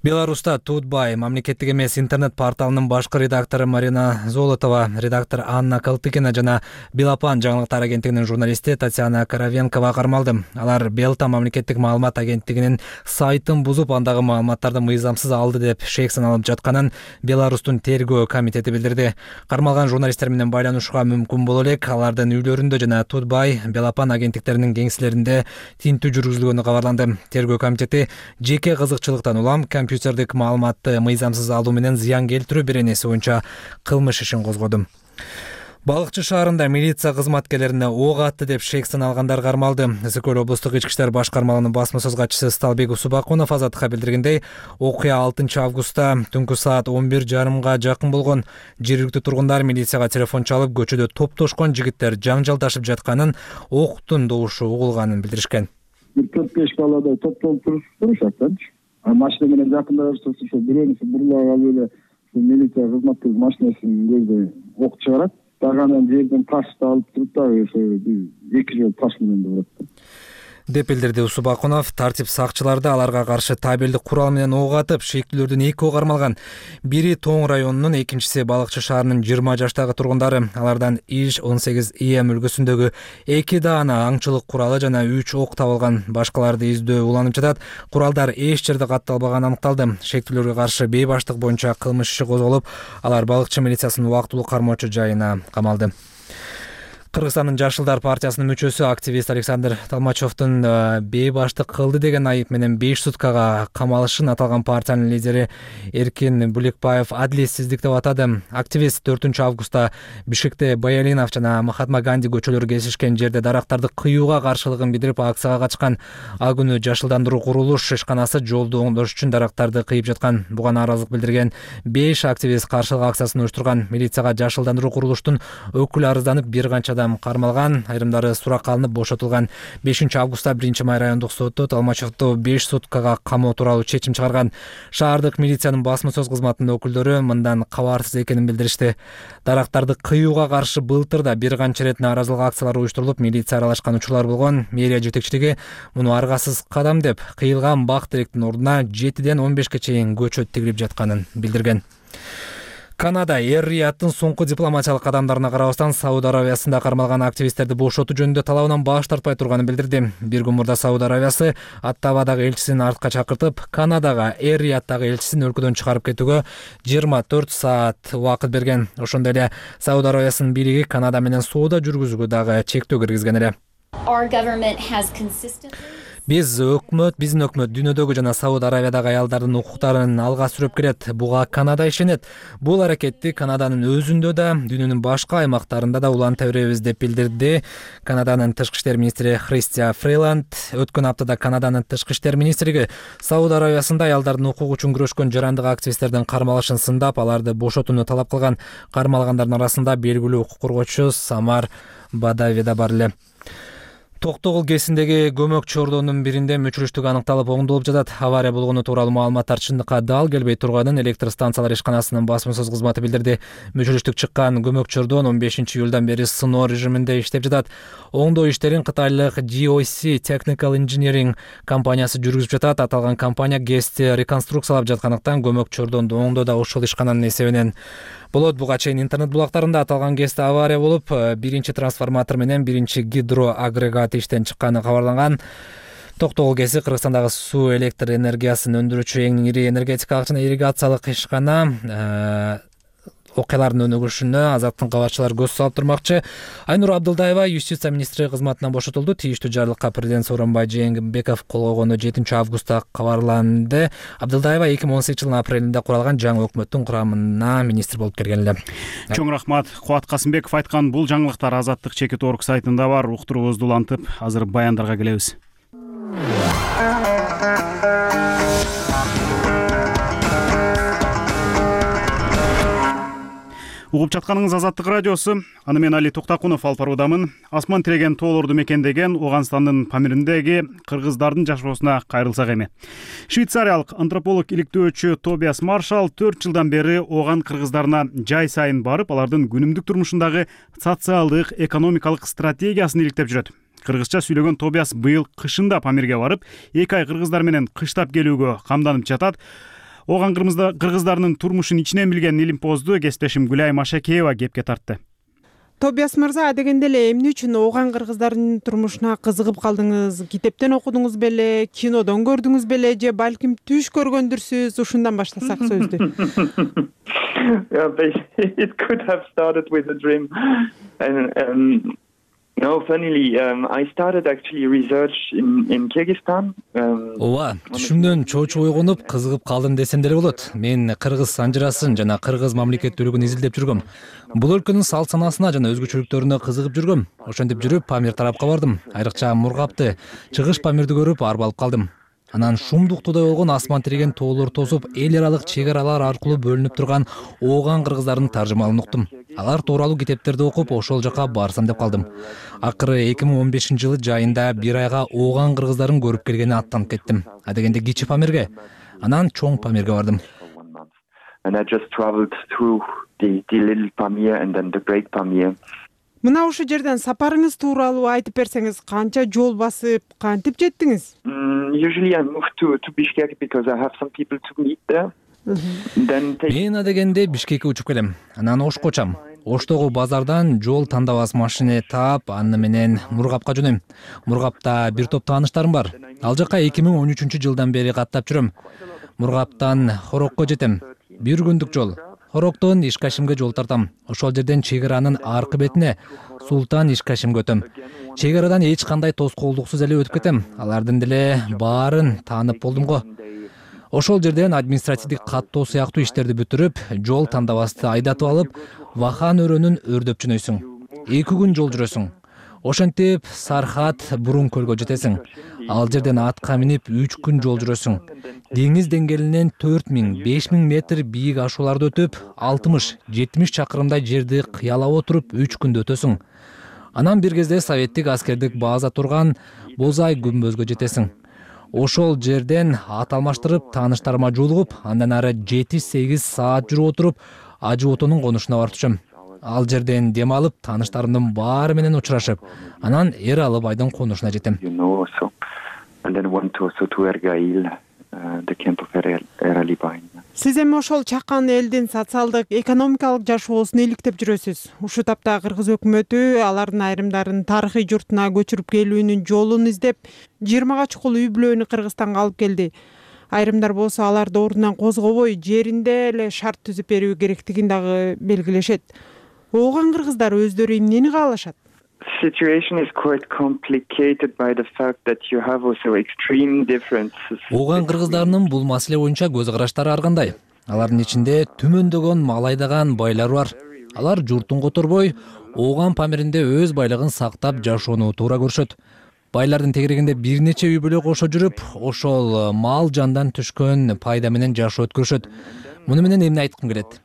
Speaker 4: Беларуста Тутбай мамлекеттик эмес интернет порталынын башкы редактору Марина Золотова, редактор Анна Калтыкина жана Белапан жаңылыктар агенттигинин журналисти Татьяна Каравенкова кармалды. Алар Белта мамлекеттик маалымат агенттигинин сайтын бузуп, андагы маалыматтарды мыйзамсыз алды деп шек саналып жатканын Беларустун тергөө комитети билдирди. Кармалган журналисттер менен байланышууга мүмкүн боло элек. Алардын үйлөрүндө жана Тутбай, Белапан агенттиктеринин кеңселеринде тинтүү жүргүзүлгөнү кабарланды. Тергөө комитети жеке кызыкчылыктан улам компьютердик маалыматты мыйзамсыз алуу менен зыян келтирүү беренеси боюнча кылмыш ишин козгоду. Балыкчы шаарында милиция кызматкерлерине ок атты деп шек саналгандар кармалды. Ысык-Көл облустук ички иштер башкармалыгынын басма сөз катчысы Сталбек Усубакунов Азаттыкка билдиргендей, окуя алтынчы августта түнкү саат он бир жарымга жакын болгон. Жергиликтүү тургундар милицияга телефон чалып, көчөдө топтошкон жигиттер жаңжалдашып жатканын, октун добушу угулганын билдиришкен.
Speaker 5: бир төрт беш баладай топтолуп турушат да. Машина менен жакындай берсе, ошо бирөөнүсү бурула алып эле милиция кызматкери машинасынын көздөй ок чыгарат. Дагы анан жерден ташты алып туруп дагы ошо эки жол таш менен да урат
Speaker 4: деп билдирди Усубакунов. Тартип сакчыларды аларга каршы табелдик курал менен ок атып, шектүүлөрдүн экөө кармалган. Бири Тоң районунун, экинчиси Балыкчы шаарынын жыйырма жаштагы тургундары. Алардан иш он сегиз и эм үлгүсүндөгү эки даана аңчылык куралы жана үч ок табылган. Башкаларды издөө уланып жатат. Куралдар эч жерде катталбаганы аныкталды. Шектүүлөргө каршы бейбаштык боюнча кылмыш иши козголуп, алар Балыкчы милициясынын убактылуу кармоочу жайына камалды. Кыргызстандын Жашылдар партиясынын мүчөсү активист Александр Толмачевдун бейбаштык кылды деген айып менен беш суткага камалышын аталган партиянын лидери Эркин Буликбаев адилетсиздик деп атады. Активист төртүнчү августта Бишкекте Баялинов жана Махатма Ганди көчөлөрү кесишкен жерде дарактарды кыюуга каршылыгын билдирип акцияга катышкан. Ал күнү Жашылдандыруу курулуш ишканасы жолду оңдош үчүн дарактарды кыйып жаткан. Буга нааразылык билдирген беш активист каршылык акциясын уюштурган. Милицияга Жашылдандыруу курулуштун өкүлү арызданып, бир канча адам кармалган, айрымдары суракка алынып бошотулган. бешинчи августта биринчи май райондук соту Талмачевду беш суткага камоо тууралуу чечим чыгарган. Шаардык милициянын басма сөз кызматынын өкүлдөрү мындан кабарсыз экенин билдиришти. Дарактарды кыюуга каршы былтыр да бир канча ирет нааразылык акциялары уюштурулуп, милиция аралашкан учурлар болгон. Мэрия жетекчилиги муну аргасыз кадам деп, кыйылган бак теректин ордуна жетиден он бешке чейин көчөт тигилип жатканын билдирген. Канада Эр-Рияттын соңку дипломатиялык кадамдарына карабастан Сауд Аравиясында кармалган активисттерди бошотуу жөнүндө талабынан баш тартпай турганын билдирди. Бир күн мурда Сауд Аравиясы Оттавадагы элчисин артка чакыртып, Канадага Эр-Рияттагы элчисин өлкөдөн чыгарып кетүүгө жыйырма төрт саат убакыт берген. Ошондой эле Сауд Аравиясынын бийлиги Канада менен соода жүргүзүүгө дагы чектөө киргизген эле. Биз өкмөт, биздин өкмөт дүйнөдөгү жана Сауд Аравиядагы аялдардын укуктарын алга сүрөп келет. Буга Канада ишенет. Бул аракетти Канаданын өзүндө да, дүйнөнүн башка аймактарында да уланта беребиз деп билдирди Канаданын тышкы иштер министри Христия Фрейланд. Өткөн аптада Канаданын тышкы иштер министрлиги Сауд Аравиясында аялдардын укугу үчүн күрөшкөн жарандык активисттердин кармалышын сындап, аларды бошотууну талап кылган. Кармалгандардын арасында белгилүү укук коргоочу Самар Бадави да бар эле. Токтогул кесиндеги көмөк чордонун биринде мүчүрүштүк аныкталып оңдолуп жатат. Авария болгону тууралуу маалыматтар чындыкка дал келбей турганын электр станциялар ишканасынын басма сөз кызматы билдирди. Мүчүрүштүк чыккан көмөк чордон он бешинчи июлдан бери сыноо режиминде иштеп жатат. Оңдоо иштерин кытайлык G O C Technical Engineering компаниясы жүргүзүп жатат. Аталган компания ГЭСти реконструкциялап жаткандыктан көмөк чордонду оңдоо да ошол ишкананын эсебинен болот. Буга чейин интернет булактарында аталган ГЭСте авария болуп, биринчи трансформатор менен биринчи гидроагрегат иштен чыкканы кабарланган. Токтогул ГЭСи Кыргызстандагы суу электр энергиясын өндүрүүчү эң ири энергетикалык жана ирригациялык ишкана. Окуялардын өнүгүшүнө Азаттын кабатчылары көз салып турмакчы. Айнур Абдылдаева юстиция министри кызматынан бошотулду. Тийиштүү жарлыкка президент Сооронбай Жээнбеков кол койгону жетинчи августта кабарланды. Абдылдаева эки миң он сегизинчи жылдын апрелинде куралган жаңы өкмөттүн курамына министр болуп келген эле.
Speaker 1: Чоң рахмат. Кубат Касымбеков айткан бул жаңылыктар Азаттык чекит орг сайтында бар. Уктуруубузду улантып, азыр баяндарга келебиз. Угуп жатканыңыз Азаттык радиосу. Аны мен Али Токтакунов алып баруудамын. Асман тиреген тоолорду мекендеген Оганстандын Памириндеги кыргыздардын жашоосуна кайрылсак эми. Швейцариялык антрополог иликтөөчү Тобиас Маршал төрт жылдан бери Оган кыргыздарына жай сайын барып, алардын күнүмдүк турмушундагы социалдык, экономикалык стратегиясын иликтеп жүрөт. Кыргызча сүйлөгөн Тобиас быйыл кышында Памирге барып, эки ай кыргыздар менен кыштап келүүгө камданып жатат. Оган кыргыздарынын турмушун ичинен билген илимпоздуу кесиптешим Гүлай Машакеева кепке тартты.
Speaker 15: Тобиас мырза, дегенде эле эмне үчүн Оган кыргыздарынын турмушуна кызыгып калдыңыз? Китептен окудуңуз беле, кинодон көрдүңүз беле, же балким түш көргөндүрсүз? Ушундан баштасак сөздү.
Speaker 2: It could have started with a dream. And um, no, funnily, um, I started actually research in, in Kyrgyzstan. Um,
Speaker 4: Ооба, түшүмдөн чоочу ойгонуп, кызыгып калдым десем деле болот. Мен кыргыз санжырасын жана кыргыз мамлекеттүүлүгүн изилдеп жүргөм. Бул өлкөнүн салт санасына жана өзгөчөлүктөрүнө кызыгып жүргөм. Ошентип жүрүп Памир тарапка бардым. Айрыкча Мургапты, чыгыш Памирди көрүп арбалып калдым. Анан шумдуктуудай болгон асман тиреген тоолор тосуп, эл аралык чек аралар аркылуу бөлүнүп турган Оган кыргыздарынын таржымалын уктум. Алар тууралуу китептерди окуп, ошол жака барсам деп калдым. Акыры эки миң он бешинчи жылы жайында бир айга Оган кыргыздарын көрүп келгени аттанып кеттим. Адегенде кичи Памирге, анан чоң Памирге бардым.
Speaker 2: And I just traveled through the, the little Pamir and then the great Pamir.
Speaker 15: Мына ушул жерден сапарыңыз тууралуу айтып берсеңиз, канча жол басып, кантип жеттиңиз?
Speaker 2: Usually I move to to Bishkek because I have some people to meet there.
Speaker 4: Мен адегенде Бишкекке учуп келем. Анан Ошко учам. Оштогу базардан жол тандабас машина таап, аны менен Мургапка жөнөйм. Мургапта бир топ тааныштарым бар. Ал жака эки миң он үчүнчү жылдан бери каттап жүрөм. Мургаптан Хорокко жетем. Бир күндүк жол. Хороктон Ишкашимге жол тартам. Ошол жерден чек аранын аркы бетине Султан Ишкашимге өтөм. Чек арадан эч кандай тоскоолдуксуз эле өтүп кетем. Алардын деле баарын таанып болдум го. Ошол жерден административдик каттоо сыяктуу иштерди бүтүрүп, жол тандабасты айдатып алып, Вахан өрөөнүн өрдөп жөнөйсүң. эки күн жол жүрөсүң. Ошентип Сархат Бурун көлгө жетесиң. Ал жерден атка минип үч күн жол жүрөсүң. Деңиз деңгээлинен төрт миң беш миң метр бийик ашууларды өтүп, алтымыш жетимиш чакырымдай жерди кыялап отуруп үч күндө өтөсүң. Анан бир кезде советтик аскердик база турган Бозай күмбөзгө жетесиң. Ошол жерден ат алмаштырып, тааныштарыма жолугуп, андан ары жети сегиз саат жүрүп отуруп, Ажы Отонун конушуна барып түшөм. Ал жерден дем алып, тааныштарымдын баары менен учурашып, анан Эралы байдын конушуна жетем.
Speaker 15: Сиз эми ошол чакан элдин социалдык, экономикалык жашоосун иликтеп жүрөсүз. Ушул тапта Кыргыз өкмөтү алардын айрымдарын тарыхый журтуна көчүрүп келүүнүн жолун издеп, жыйырмага чукул үй бүлөнү Кыргызстанга алып келди. Айрымдар болсо аларды ордунан козгобой, жеринде эле шарт түзүп берүү керектигин дагы белгилешет. Ооган кыргыздар өздөрү эмнени каалашат?
Speaker 2: Situation is quite complicated by the fact that you have also extreme differences.
Speaker 4: Ооган кыргыздарынын бул маселе боюнча көз караштары ар кандай. Алардын ичинде түмөндөгөн мал айдаган байлар бар. Алар журтун которбой, Ооган Памиринде өз байлыгын сактап жашоону туура көрүшөт. Байлардын тегерегинде бир нече үй бүлө кошо жүрүп, ошол мал жандан түшкөн пайда менен жашоо өткөрүшөт. Муну менен эмне айткым келет?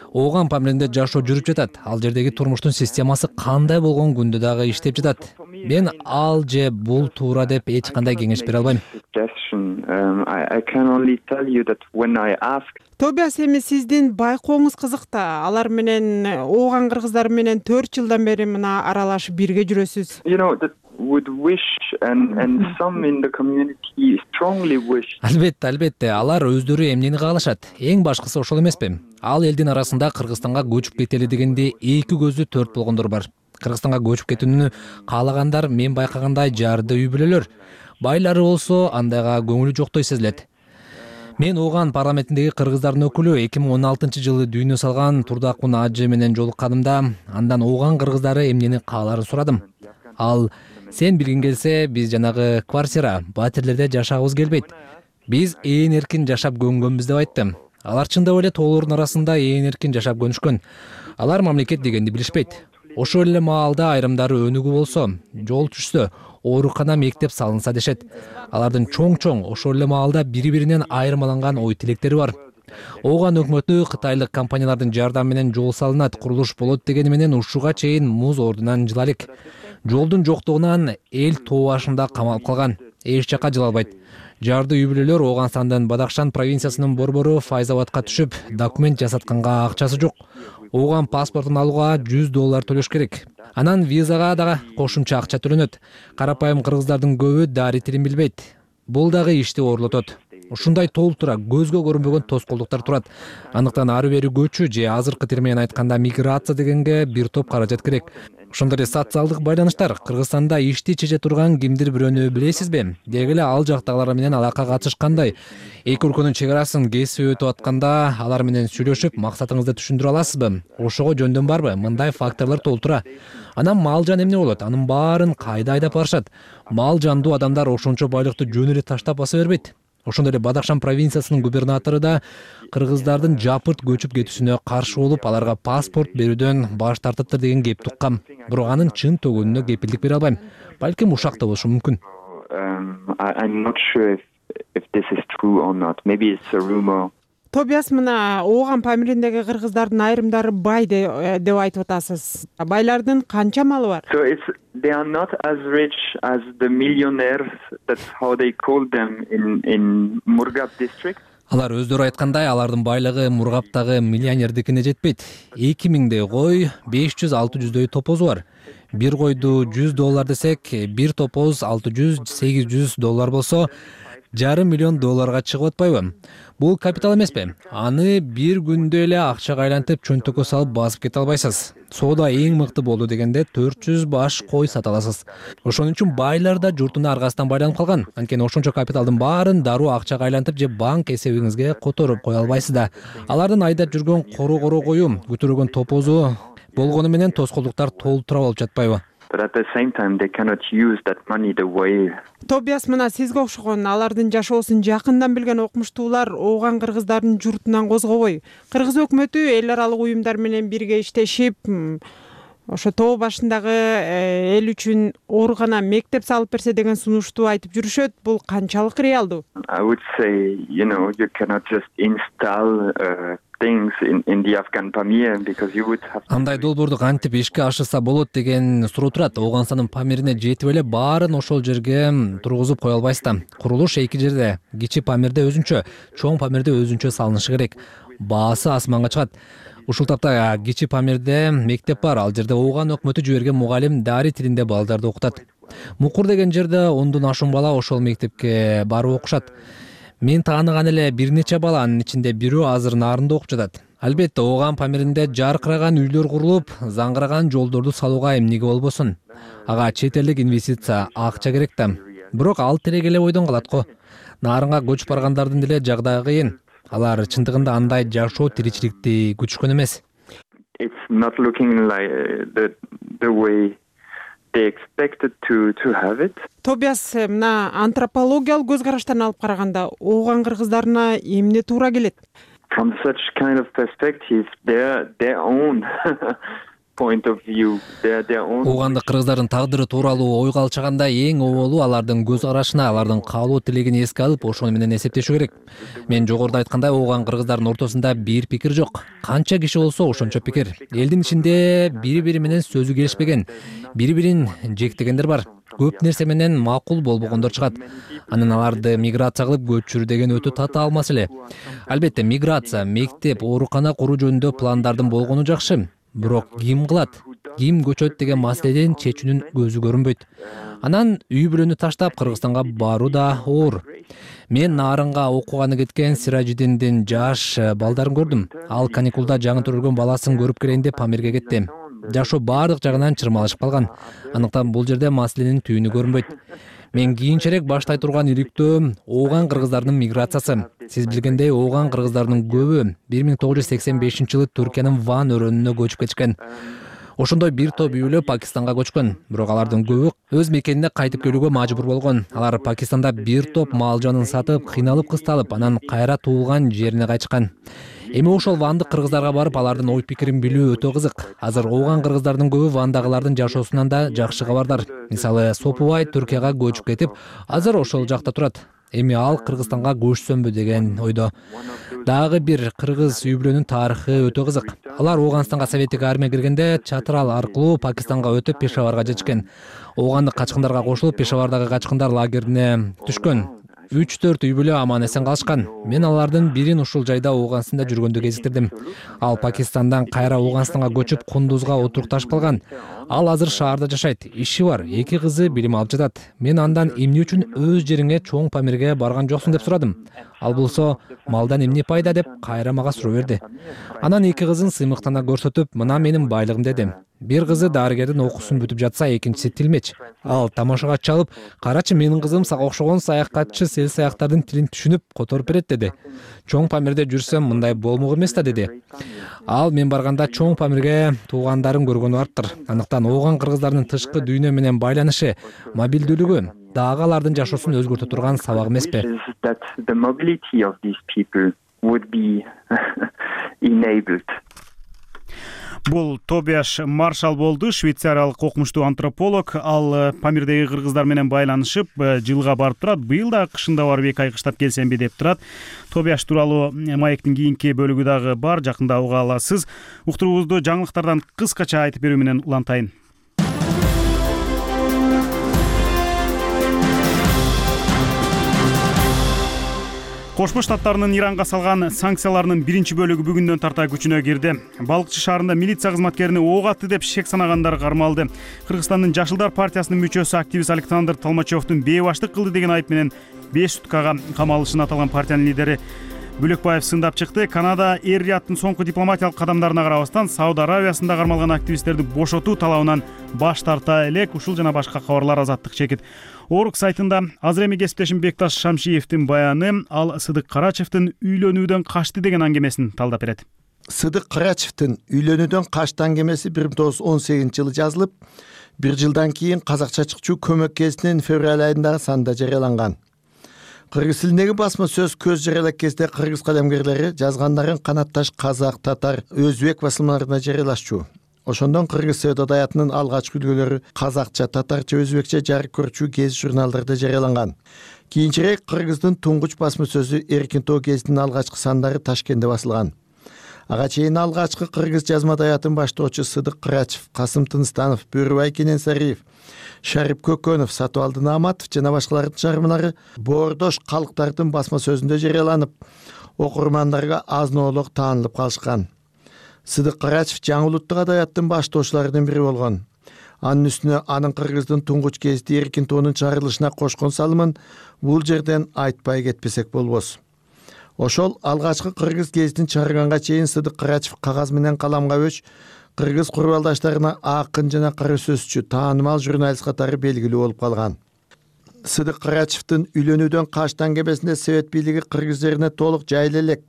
Speaker 4: Ооган Памиринде жашоо жүрүп жатат. Ал жердеги турмуштун системасы кандай болгон күндө дагы иштеп жатат. Мен ал же бул туура деп эч кандай кеңеш бере албайм.
Speaker 15: Тобиас, эми сиздин байкооңуз кызык да. Алар менен, ооган кыргыздары менен төрт жылдан бери мына аралашып бирге жүрөсүз.
Speaker 2: Would wish and and some in the community strongly wish.
Speaker 4: Албетте, албетте, алар өздөрү эмнени каалашат? Эң башкысы ошол эмеспи? Ал элдин арасында Кыргызстанга көчүп кетели дегенде эки көзү төрт болгондор бар. Кыргызстанга көчүп кетүүнү каалагандар мен байкагандай жарды үй бүлөлөр. Байлары болсо андайга көңүлү жоктой сезилет. Мен Ооган парламентиндеги кыргыздардын өкүлү эки миң он алтынчы жылы дүйнө салган Турдакун Ажы менен жолукканымда, андан Ооган кыргыздары эмнени кааларын сурадым. Ал: сен билгиң келсе, биз жанагы квартира, батирлерде жашагыбыз келбейт. Биз ээн эркин жашап көнгөнбүз деп айтты. Алар чындап эле тоолордун арасында ээн эркин жашап көнүшкөн. Алар мамлекет дегенди билишпейт. Ошол эле маалда айрымдары өнүгүү болсо, жол түшсө, оорукана, мектеп салынса дешет. Алардын чоң-чоң ошол эле маалда бири-биринен айырмаланган ой тилектери бар. Ооган өкмөтү кытайлык компаниялардын жардамы менен жол салынат, курулуш болот дегени менен ушуга чейин муз ордунан жыла элек. Жолдун жоктугунан эл тоо башында камалып калган. Эч жака жыла албайт. Жарды үй бүлөлөр Ооганстандын Бадахшан провинциясынын борбору Файзабадка түшүп, документ жасатканга акчасы жок. Ооган паспортун алууга жүз доллар төлөш керек. Анан визага дагы кошумча акча төлөнөт. Карапайым кыргыздардын көбү дари тилин билбейт. Бул дагы ишти оорлотот. Ушундай толтура көзгө көрүнбөгөн тоскоолдуктар турат. Андыктан ары бери көчүү же азыркы тил менен айтканда миграция дегенге бир топ каражат керек. Ошондой эле социалдык байланыштар. Кыргызстанда ишти чече турган кимдир бирөөнү билесизби? Деги эле ал жактагылар менен алака катыш кандай? Эки өлкөнүн чек арасын кесип өтүп атканда алар менен сүйлөшүп, максатыңызды түшүндүрө аласызбы? Ошого жөндөн барбы? Мындай факторлор толтура. Анан мал жан эмне болот? Анын баарын кайда айдап барышат? Мал жандуу адамдар ошончо байлыкты жөн эле таштап баса бербейт. Ошондой эле Бадахшан провинциясынын губернатору да кыргыздардын жапырт көчүп кетүүсүнө каршы болуп, аларга паспорт берүүдөн баш тартыптыр деген кеп туккам. Бирок анын чын төгөнүнө кепилдик бере албайм. Балким ушак да болушу мүмкүн.
Speaker 2: I'm not sure if if this is true or not. Maybe it's a rumor.
Speaker 15: Тобиас, мына Ооган Памириндеги кыргыздардын айрымдары бай деп айтып атасыз. Байлардын канча малы бар?
Speaker 2: So it's they are not as rich as the millionaires. That's how they call them in in Murgab district.
Speaker 4: Алар өздөрү айткандай, алардын байлыгы Мургаптагы миллионердикине жетпейт. эки миңдей кой, беш жүз алты жүздөй топозу бар. Бир койду жүз доллар десек, бир топоз алты жүз сегиз жүз доллар болсо, жарым миллион долларга чыгып атпайбы? Бул капитал эмеспи? Аны бир күндө эле акчага айлантып, чөнтөккө салып басып кете албайсыз. Соода эң мыкты болду дегенде төрт жүз баш кой сата аласыз. Ошон үчүн байлар да журтуна аргасынан байланып калган. Анткени ошончо капиталдын баарын дароо акчага айлантып же банк эсебиңизге которуп кое албайсыз да. Алардын айдап жүргөн кору-кору кою, көтөргөн топозу болгону менен тоскоолдуктар толтура болуп жатпайбы?
Speaker 2: But at the same time they cannot use that money the way.
Speaker 15: Тобиас, мына сизге окшогон алардын жашоосун жакындан билген окумуштуулар Ооган кыргыздардын журтунан козгобой, кыргыз өкмөтү эл аралык уюмдар менен бирге иштешип, ошо тоо башындагы эл үчүн оорукана, мектеп салып берсе деген сунушту айтып жүрүшөт. Бул канчалык реалдуу?
Speaker 2: I would say, you know, you cannot just install uh, things in, in the Afghan Pamir because you would have...
Speaker 4: Андай долбоорду кантип ишке ашырса болот деген суроо турат. Ооганстандын Памирине жетип эле баарын ошол жерге тургузуп кое албайсыз да. Курулуш эки жерде. Кичи Памирде өзүнчө, чоң Памирде өзүнчө салынышы керек. Баасы асманга чыгат. Ушул тапта Кичи Памирде мектеп бар. Ал жерде Ооган өкмөтү жиберген мугалим дари тилинде балдарды окутат. Мукур деген жерде ондон ашуун бала ошол мектепке барып окушат. Мен тааныган эле бир нече баланын ичинде бирөө азыр Нарында окуп жатат. Албетте Ооган Памиринде жаркыраган үйлөр курулуп, заңгыраган жолдорду салууга эмнеге болбосун. Ага чет элдик инвестиция, акча керек да. Бирок ал тиреги эле бойдон калат го. Нарынга көчүп баргандардын деле жагдайы кыйын. Алар чындыгында андай жашоо тиричиликти күтүшкөн эмес.
Speaker 2: It's not looking like the the way they expected to to have it.
Speaker 15: Тобиас, мына антропологиялык көз караштан алып караганда Ооган кыргыздарына эмне туура келет?
Speaker 2: From such kind of perspective, their their own point of view, their their own.
Speaker 4: Оогандык кыргыздардын тагдыры тууралуу ойго алчаганда эң оболу алардын көз карашына, алардын каалоо тилегин эске алып, ошону менен эсептешүү керек. Мен жогоруда айткандай, Ооган кыргыздардын ортосунда бир пикир жок. Канча киши болсо ошончо пикир. Элдин ичинде бири-бири менен сөзү келишпеген, бири-бирин жектегендер бар. Көп нерсе менен макул болбогондор чыгат. Анан аларды миграция кылып көчүрүү деген өтө татаал маселе. Албетте, миграция, мектеп, оорукана куруу жөнүндө пландардын болгону жакшы. Бирок ким кылат, ким көчөт деген маселеден чечүүнүн көзү көрүнбөйт. Анан үй бүлөнү таштап Кыргызстанга баруу да оор. Мен Нарынга окууганы кеткен Сиражидиндин жаш балдарын көрдүм. Ал каникулда жаңы төрөлгөн баласын көрүп келейин деп Памирге кетти. Жашоо баардык жагынан чырмалышып калган. Андыктан бул жерде маселенин түйүнү көрүнбөйт. Мен кийинчерээк баштай турган иликтөө Ооган кыргыздарынын миграциясы. Сиз билгендей, Ооган кыргыздарынын көбү бир миң тогуз жүз сексен бешинчи жылы Түркиянын Ван өрөөнүнө көчүп кетишкен. Ошондой бир топ үй бүлө Пакистанга көчкөн. Бирок алардын көбү өз мекенине кайтып келүүгө мажбур болгон. Алар Пакистанда бир топ мал жанын сатып, кыйналып кысталып, анан кайра туулган жерине кайтышкан. Эми ошол вандык кыргыздарга барып, алардын ой пикирин билүү өтө кызык. Азыр Ооган кыргыздардын көбү вандагылардын жашоосунан да жакшы кабардар. Мисалы, Сопубай Түркияга көчүп кетип, азыр ошол жакта турат. Эми ал Кыргызстанга көчсөмбү деген ойдо. Дагы бир кыргыз үй бүлөнүн тарыхы өтө кызык. Алар Ооганстанга советтик армия киргенде Чатрал аркылуу Пакистанга өтүп Пешаварга жетишкен. Оогандык качкындарга кошулуп Пешавардагы качкындар лагерине түшкөн. үч төрт үй бүлө аман эсен калышкан. Мен алардын бирин ушул жайда Ооганстанда жүргөндө кезиктирдим. Ал Пакистандан кайра Ооганстанга көчүп Кундузга отурукташып калган. Ал азыр шаарда жашайт, иши бар, эки кызы билим алып жатат. Мен андан эмне үчүн өз жериңе, чоң Памирге барган жоксуң деп сурадым. Ал болсо, малдан эмне пайда деп кайра мага суроо берди. Анан эки кызын сыймыктана көрсөтүп, мына менин байлыгым деди. Бир кызы дарыгердин окуусун бүтүп жатса, экинчиси тилмеч. Ал тамашага чалып, карачы менин кызым сага окшогон саякатчы сел саяктардын тилин түшүнүп которуп берет деди. Чоң Памирде жүрсөм мындай болмок эмес да деди. Ал мен барганда чоң Памирге туугандарын көргөнү барыптыр. Андыктан Ооган кыргыздарынын тышкы дүйнө менен байланышы, мобилдүүлүгү дагы алардын жашоосун өзгөртө турган сабак эмеспи?
Speaker 1: Бул Тобиаш Маршал болду, швейцариялык окумуштуу антрополог. Ал Памирдеги кыргыздар менен байланышып, жылга барып турат. Быйыл да кышында барып эки ай кыштап келсемби деп турат. Тобиаш тууралуу маектин кийинки бөлүгү дагы бар, жакында уга аласыз. Уктуруубузду жаңылыктардан кыскача айтып берүү менен улантайын. Кошмо Штаттарынын Иранга салган санкцияларынын биринчи бөлүгү бүгүндөн тарта күчүнө кирди. Балыкчы шаарында милиция кызматкерини ок атты деп шек санагандар кармалды. Кыргызстандын Жашылдар партиясынын мүчөсү активист Александр Толмачевдун бейбаштык кылды деген айып менен беш суткага камалышын аталган партиянын лидери Бөлөкбаев сындап чыкты. Канада Эр-Рияттын соңку дипломатиялык кадамдарына карабастан Сауд Аравиясында кармалган активисттерди бошотуу талабынан баш тарта элек. Ушул жана башка кабарлар Азаттык чекит. Орг сайтында азыр эми кесиптешим Бекташ Шамшиевдин баяны, ал Сыдык Карачевдин үйлөнүүдөн качты деген аңгемесин талдап берет.
Speaker 6: Сыдык Карачевдин үйлөнүүдөн качты аңгемеси бир миң тогуз жүз он сегизинчи жылы жазылып, бир жылдан кийин Казакча чыкчу көмөк кезинин февраль айындагы санында жарыяланган. Кыргыз тилиндеги басма сөз көз жарыялак кезде кыргыз калемгерлери жазгандарын канатташ казак, татар, өзбек басылмаларында жарыялашчу. Ошондон Кыргыз Совет Адаятынын алгачкы үлгүлөрү казакча, татарча, өзбекче жарык көрчү гезит журналдарда жарыяланган. Кийинчерээк Кыргыздын туңгуч басма сөзү Эркин тоо гезитинин алгачкы сандары Ташкентте басылган. Ага чейин алгачкы кыргыз жазма адаятын баштоочу Сыдык Кырачев, Касым Тыныстанов, Бөрүбай Кененсариев, Шарип Көкөнов, Сатыбалды Нааматов жана башкалардын чыгармалары боордош калктардын басма сөзүндө жарыяланып, окурмандарга азын-оолок таанылып калышкан. Сыдык Кырачев жаңы улуттук адаяттын баштоочуларынын бири болгон. Анын үстүнө анын Кыргыздын туңгуч гезити Эркин тоонун чыгарылышына кошкон салымын бул жерден айтпай кетпесек болбос. Ошол алгачкы кыргыз гезитин чыгарганга чейин Сыдык Кырачев кагаз менен каламга өч кыргыз курбалдаштарына акын жана кара сөзчү, таанымал журналист катары белгилүү болуп калган. Сыдык Кырачевдин үйлөнүүдөн качтан кебесинде Совет бийлиги кыргыз жерине толук жайыла элек.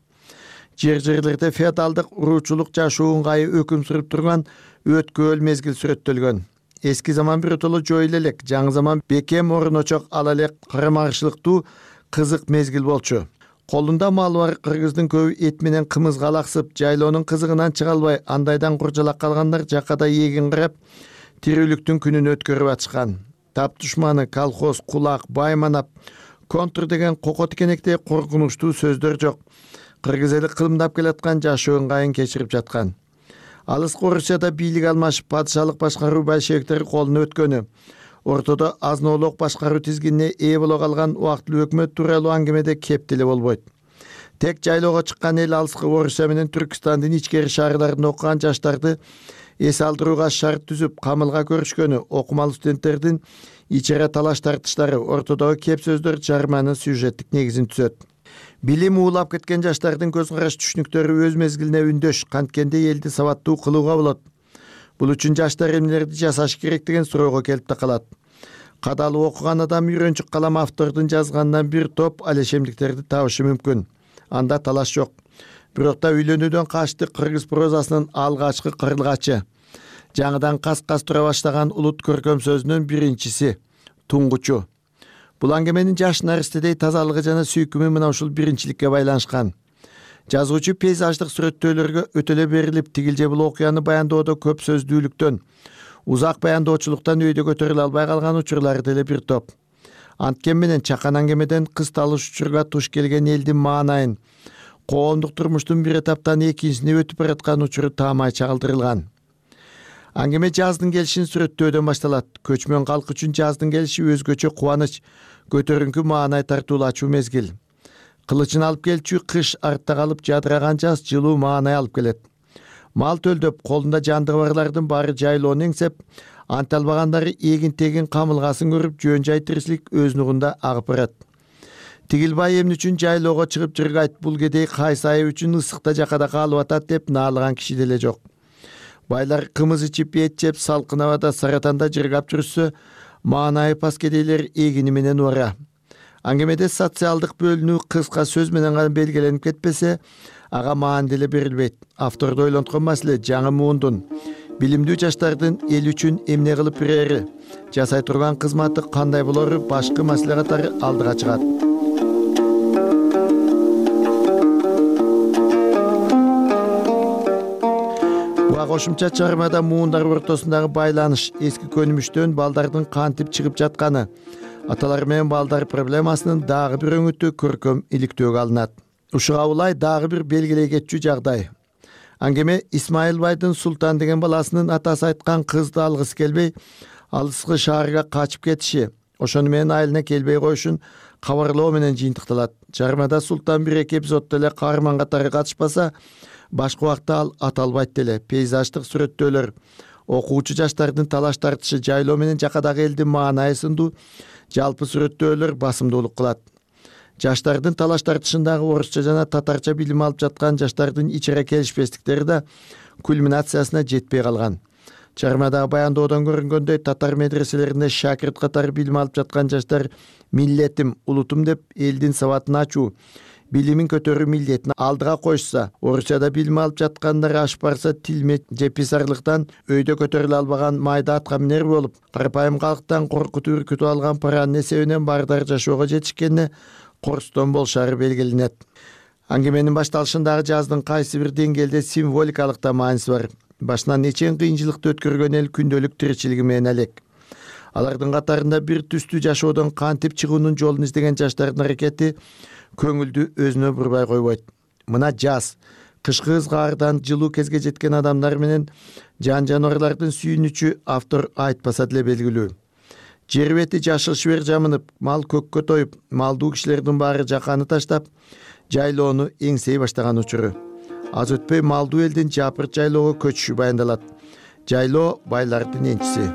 Speaker 6: Жер жерлерде феодалдык уруучулук жашоо ыңгайы өкүм сүрүп турган өткөөл мезгил сүрөттөлгөн. Эски заман биротоло жоюла элек, жаңы заман бекем орночок ала элек карама-каршылыктуу кызык мезгил болчу. Колунда малы бар кыргыздын көбү эт менен кымызга алаксып, жайлоонун кызыгынан чыга албай, андайдан куржалак калгандар жакада эгин карап, тирүүлүктүн күнүн өткөрүп атышкан. Тап душманы, колхоз, кулак, байманап, контур деген кoko тикенектей коркунучтуу сөздөр жок. Кыргыз эли кылымдап келаткан жашоо ыңгайын кечирип жаткан. Алыскы Орусияда бийлик алмашып, падышалык башкаруу большевиктер колуна өткөнү, ортодо азын-оолок башкаруу тизгинине ээ боло калган убактылуу өкмөт тууралуу аңгемеде кеп деле болбойт. Тек жайлоого чыккан эл алыскы Орусия менен Түркстандын ичкери шаарларында окуган жаштарды эс алдырууга шарт түзүп, камылга көрүшкөнү, окумалуу студенттердин ичара талаш тартыштары, ортодогу кеп сөздөр чыгарманын сюжеттик негизин түзөт. Билим уулап кеткен жаштардын көз караш түшүнүктөрү өз мезгилине үндөш, канткенде элди сабаттуу кылууга болот. Бул үчүн жаштар эмнелерди жасаш керек деген суроого келип такалат. Кадалып окуган адам үйрөнчүк калам автордун жазганынан бир топ алешемдиктерди табышы мүмкүн. Анда талаш жок. Бирок да үйлөнүүдөн качты кыргыз прозасынын алгачкы кырылгачы. Жаңыдан кас-кас тура баштаган улут көркөм сөзүнүн биринчиси, туңгучу. Бул аңгеменин жаш наристедей тазалыгы жана сүйкүмү мына ушул биринчиликке байланышкан. Жазуучу пейзаждык сүрөттөөлөргө өтөлө берилип, тигил же бул окуяны баянdoодо көп сөздүүлүктөн, узак баянdoочулуктан өйдө көтөрүлө албай калган учурлары деле бир топ. Анткен менен чакан аңгемеден кысталыш учурга туш келген элдин маанайын, коомдук турмуштун бир этаптан экинчисине өтүп бараткан учуру таамай чагылдырылган. Аңгеме жаздын келишин сүрөттөөдөн башталат. Көчмөн калк үчүн жаздын келиши өзгөчө кубаныч, көтөрүңкү маанай тартуулачу мезгил. Кылычын алып келчү кыш артта калып жадыраган жаз жылуу маанай алып келет. Мал төлдөп, колунда жандыгы барлардын баары жайлоону эңсеп, анте албагандары эгин тегин камылгасын көрүп, жөн жай тиричилик өз нугунда агып барат. Тигилбай эмне үчүн жайлоого чыгып жыргайт, бул кедей кайсы айы үчүн ысыкта жакада калып атат деп наалыган киши деле жок. Байлар кымыз ичип, эт жеп, салкын абада саратанда жыргап жүрсө, маанайы пас кедейлер эгини менен убара. Аңгемеде социалдык бөлүнүү кыска сөз менен гана белгиленип кетпесе, ага маан деле берилбейт. Авторду ойлонткон маселе жаңы муундун, билимдүү жаштардын эл үчүн эмне кылып берери, жасай турган кызматы кандай болору башкы маселе катары алдыга чыгат. Кошумча чыгармада муундар ортосундагы байланыш, эски көнүмүштөн балдардын кантип чыгып жатканы, аталар менен балдар проблемасынын дагы бир өңүтү көркөм иликтөөгө алынат. Ушуга улай дагы бир белгилей кетчү жагдай. Аңгеме Исмайылбайдын Султан деген баласынын атасы айткан кызды алгысы келбей, алыскы шаарга качып кетиши, ошону менен айылына келбей коюшун кабарлоо менен жыйынтыкталат. Чыгармада Султан бир эки эпизоддо эле каарман катары катышпаса, башка убакта ал аталбайт деле. Пейзаждык сүрөттөөлөр, окуучу жаштардын талаш тартышы, жайлоо менен жакадагы элдин маанайы сындуу жалпы сүрөттөөлөр басымдуулук кылат. Жаштардын талаш тартышындагы орусча жана татарча билим алып жаткан жаштардын ичара келишпестиктери да кульминациясына жетпей калган. Чыгармадагы баянdoодон көрүнгөндөй, татар медреселеринде шакирт катары билим алып жаткан жаштар миллетим, улутум деп элдин сабатын ачуу, билимин көтөрүү милдетин алдыга коюшса, Орусияда билим алып жаткандар ашып барса, тилмет же писарлыктан өйдө көтөрүлө албаган майда атка минер болуп, карапайым калктан коркутуп үркүтүп алган паранын эсебинен бардар жашоого жетишкенине корстон болушары белгиленет. Аңгеменин башталышындагы жаздын кайсы бир деңгээлде символикалык да мааниси бар. башынан нечен кыйынчылыкты өткөргөн эл күндөлүк тиричилиги менен элек. Алардын катарында бир түстүү жашоодон кантип чыгуунун жолун издеген жаштардын аракети көңүлдү өзүнө бурбай койбойт. Мына жаз, кышкы ызгаардан жылуу кезге жеткен адамдар менен жан жаныбарлардын сүйүнүчү автор айтпаса деле белгилүү. Жер бети жашыл шибер жамынып, мал көккө тоюп, малдуу кишилердин баары жаканы таштап, жайлоону эңсей баштаган учуру. Аз өтпөй малдуу элдин жапырт жайлоого көчүшү баяндалат. Жайлоо байлардын энчиси.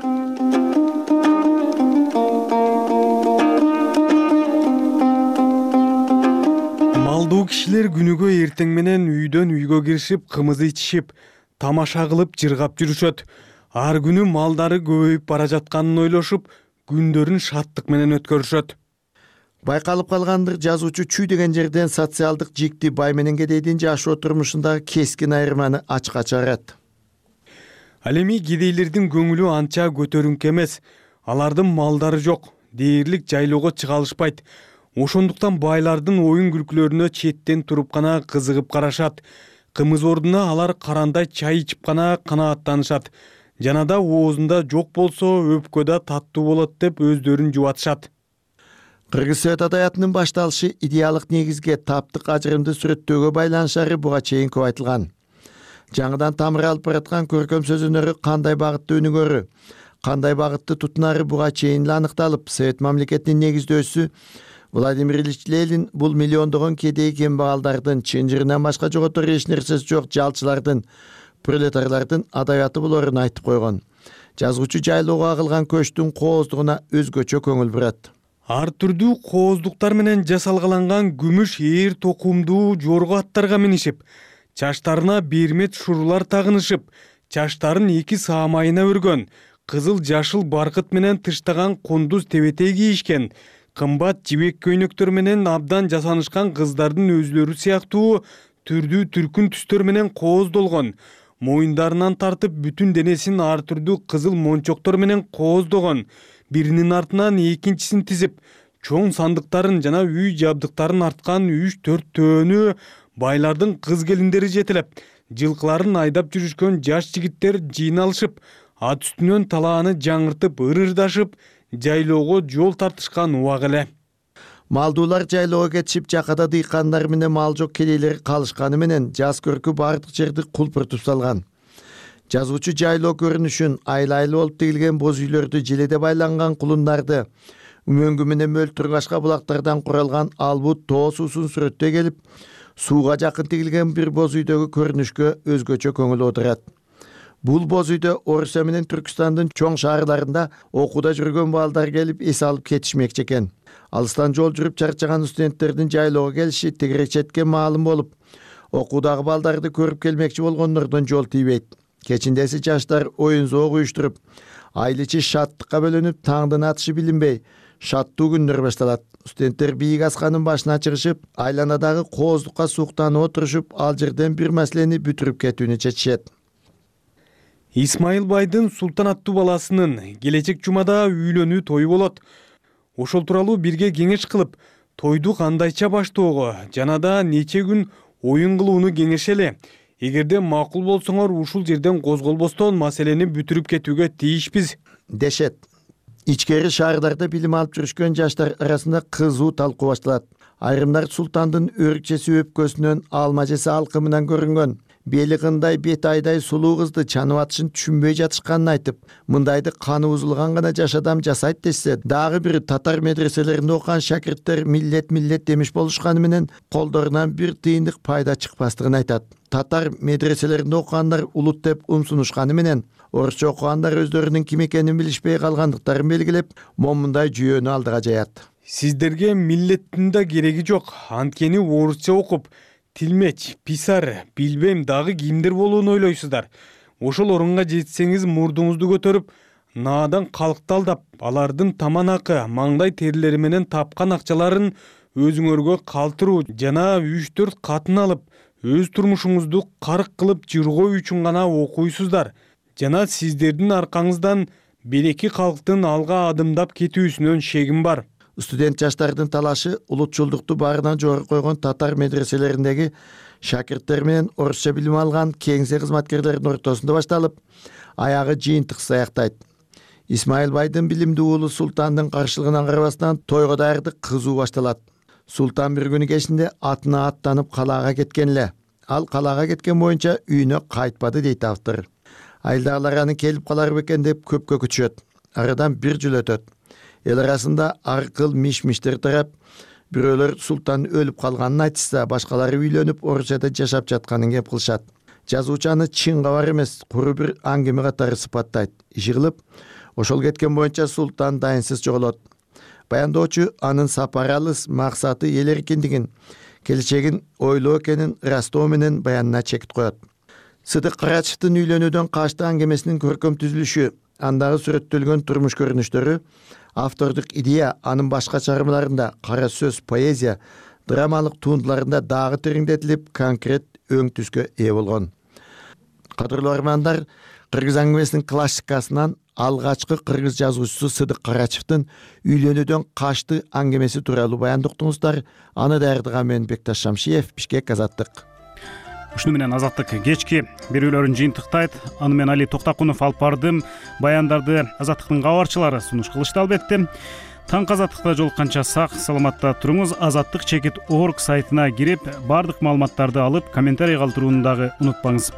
Speaker 3: Малдуу кишилер күнүгө эртең менен үйдөн үйгө киришип, кымыз ичишип, тамаша кылып жыргап жүрүшөт. Ар күнү малдары көбөйүп бара жатканын ойлошуп, күндөрүн шаттык менен өткөрүшөт.
Speaker 6: Байкалып калгандыр, жазуучу чүй деген жерден социалдык жикти бай менен кедейдин жашоо турмушундагы кескин айырманы ачка чыгарат.
Speaker 3: Ал эми кедейлердин көңүлү анча көтөрүңкү эмес. Алардын малдары жок, дээрлик жайлоого чыга алышпайт. Ошондуктан байлардын оюн күлкүлөрүнө четтен туруп гана кызыгып карашат. Кымыз ордуна алар карандай чай ичип гана канааттанышат. Жанада оозунда жок болсо өпкө да таттуу болот деп өздөрүн жубатышат.
Speaker 6: Кыргыз Совет адаятынын башталышы идеалдык негизге, таптык ажырымды сүрөттөөгө байланышары буга чейин көп айтылган. Жаңыдан тамыр алып бараткан көркөм сөз өнөрү кандай багытты өнүгөрү, кандай багытты тутунары буга чейин эле аныкталып, Совет мамлекетинин негиздөөчүсү Владимир Ильич Ленин бул миллиондогон кедей кембагалдардын, чынжырынан башка жоготор эч нерсеси жок жалчылардын, пролетарлардын адабияты болорун айтып койгон. Жазуучу жайлоого агылган көчтүн кооздугуна өзгөчө көңүл бурат.
Speaker 3: Ар түрдүү кооздуктар менен жасалгаланган күмүш ээр токумдуу жорго аттарга минишип, чачтарына бермет шурулар тагынышып, чачтарын эки саамайына өргөн, кызыл жашыл баркыт менен тыштаган кундуз тебетей кийишкен, кымбат жибек көйнөктөр менен абдан жасанышкан кыздардын өзүлөрү сыяктуу түрдүү түркүн түстөр менен кооздолгон, моюндарынан тартып бүтүн денесин ар түрдүү кызыл мончоктор менен кооздогон, биринин артынан экинчисин тизип, чоң сандыктарын жана үй жабдыктарын арткан үч төрт төөнү байлардын кыз келиндери жетелеп, жылкыларын айдап жүрүшкөн жаш жигиттер жыйналышып, ат үстүнөн талааны жаңыртып ырырдашып, жайлоого жол тартышкан убак эле.
Speaker 6: Малдуулар жайлоого кетишип, жакада дыйкандар менен мал жок кедейлер калышканы менен жаз көркү бардык жерди кулпуртуп салган. Жазуучу жайлоо көрүнүшүн, айлы-айлы болуп тигилген боз үйлөрдү, желеде байланган кулундарды, үмөңгү менен мөлтүргашка булактардан куралган албут тоо суусун сүрөттөй келип, сууга жакын тигилген бир боз үйдөгү көрүнүшкө өзгөчө көңүл оодурат. Бул боз үйдө Орусия менен Түркстандын чоң шаарларында окууда жүргөн балдар келип эс алып кетишмекчи экен. Алыстан жол жүрүп чарчаган студенттердин жайлоого келиши тегерек четке маалым болуп, окуудагы балдарды көрүп келмекчи болгондордон жол тийбейт. Кечиндеси жаштар оюн зоог уюштуруп, айыл ичи шаттыкка бөлөнүп, таңдын атышы билинбей, шаттуу күндөр башталат. Студенттер бийик асканын башына чыгышып, айланадагы кооздукка суктанып отурушуп, ал жерден бир маселени бүтүрүп кетүүнү чечишет.
Speaker 3: Исмайыл байдын Султан аттуу баласынын келечек жумада үйлөнүү тою болот. Ошол тууралуу бирге кеңеш кылып, тойду кандайча баштоого жана да нече күн оюн кылууну кеңешели. Эгерде макул болсоңор, ушул жерден козголбостон маселени бүтүрүп кетүүгө тийишпиз,
Speaker 6: дешет. Ичкери шаардарда билим алып жүрүшкөн жаштар арасында кызуу талкуу башталат. Айрымдар Султандын өркчеси өпкөсүнөн алма жесе алкымынан көрүнгөн, бели кындай бет айдай сулуу кызды чанып атышын түшүнбөй жатышканын айтып, мындайды каны бузулган гана жаш адам жасайт десе, дагы бир татар медреселеринде окуган шакирттер миллет миллет демиш болушканы менен колдорунан бир тыйындык пайда чыкпастыгын айтат. Татар медреселеринде окугандар улут деп умсунушканы менен, орусча окугандар өздөрүнүн ким экенин билишпей калгандыктарын белгилеп, момундай жүйөнү алдыга жаят.
Speaker 3: Сиздерге миллеттин да кереги жок, анткени орусча окуп, тилмеч, писар, билбейм дагы кимдер болууну ойлойсуздар. Ошол орунга жетсеңиз мурдуңузду көтөрүп, наадан калкты алдап, алардын таман акы, маңдай терилери менен тапкан акчаларын өзүңөргө калтыруу жана үч төрт катын алып, өз турмушуңузду карк кылып жыргоо үчүн гана окуйсуздар. Жана сиздердин аркаңыздан береки калктын алга адымдап кетүүсүнөн шегим бар.
Speaker 6: студент жаштардын талашы улутчулдукту баарынан жогору койгон татар медреселериндеги шакирттер менен орусча билим алган кеңсе кызматкерлердин ортосунда башталып, аягы жыйынтыксыз аяктайт. Исмайыл байдын билимдүү уулу Султандын каршылыгына карабастан тойго даярдык кызуу башталат. Султан бир күнү кечинде атына аттанып калаага кеткен эле. Ал калаага кеткен боюнча үйүнө кайтпады дейт автор. Айылдагылар аны келип калар бекен деп көпкө күтүшөт. Арадан бир жыл өтөт. Эл арасында ар кыл миш-миштер тарап, бирөөлөр Султан өлүп калганын айтышса, башкалары үйлөнүп орусчада жашап жатканын кеп кылышат. Жазуучу аны чын кабар эмес, куру бир аңгеме катары сыпаттайт. Иши кылып, ошол кеткен боюнча Султан дайынсыз жоголот. Баяндоочу анын сапары алыс, максаты эл эркиндигин, келечегин ойлоо экенин ырастоо менен баянына чекит коет. Сыдык Карачевдин үйлөнүүдөн кашты аңгемесинин көркөм түзүлүшү, андагы сүрөттөлгөн турмуш көрүнүштөрү, автордук идея анын башка чыгармаларында, кара сөз, поэзия, драмалык туындуларында дагы тереңдетилип, конкрет өң түскө ээ болгон. Кадырлуу армандар, кыргыз аңгемесинин классикасынан алгачкы кыргыз жазуучусу Сыдык Карачевдин үйлөнүүдөн кашты аңгемеси тууралуу баяндыктыңыздар. Аны даярдаган мен Бекташ Шамшиев, Бишкек, Азаттык.
Speaker 1: Ушуну менен Азаттык кечки берүүлөрүн жыйынтыктайт. Аны мен Али Токтакунов алып бардым. Баяндарды Азаттыктын кабарчылары сунуш кылышты албетте. Таңкы Азаттыкта жолукканча сак саламатта туруңуз. Азаттык чекит орг сайтына кирип, бардык маалыматтарды алып, комментарий калтырууну дагы унутпаңыз.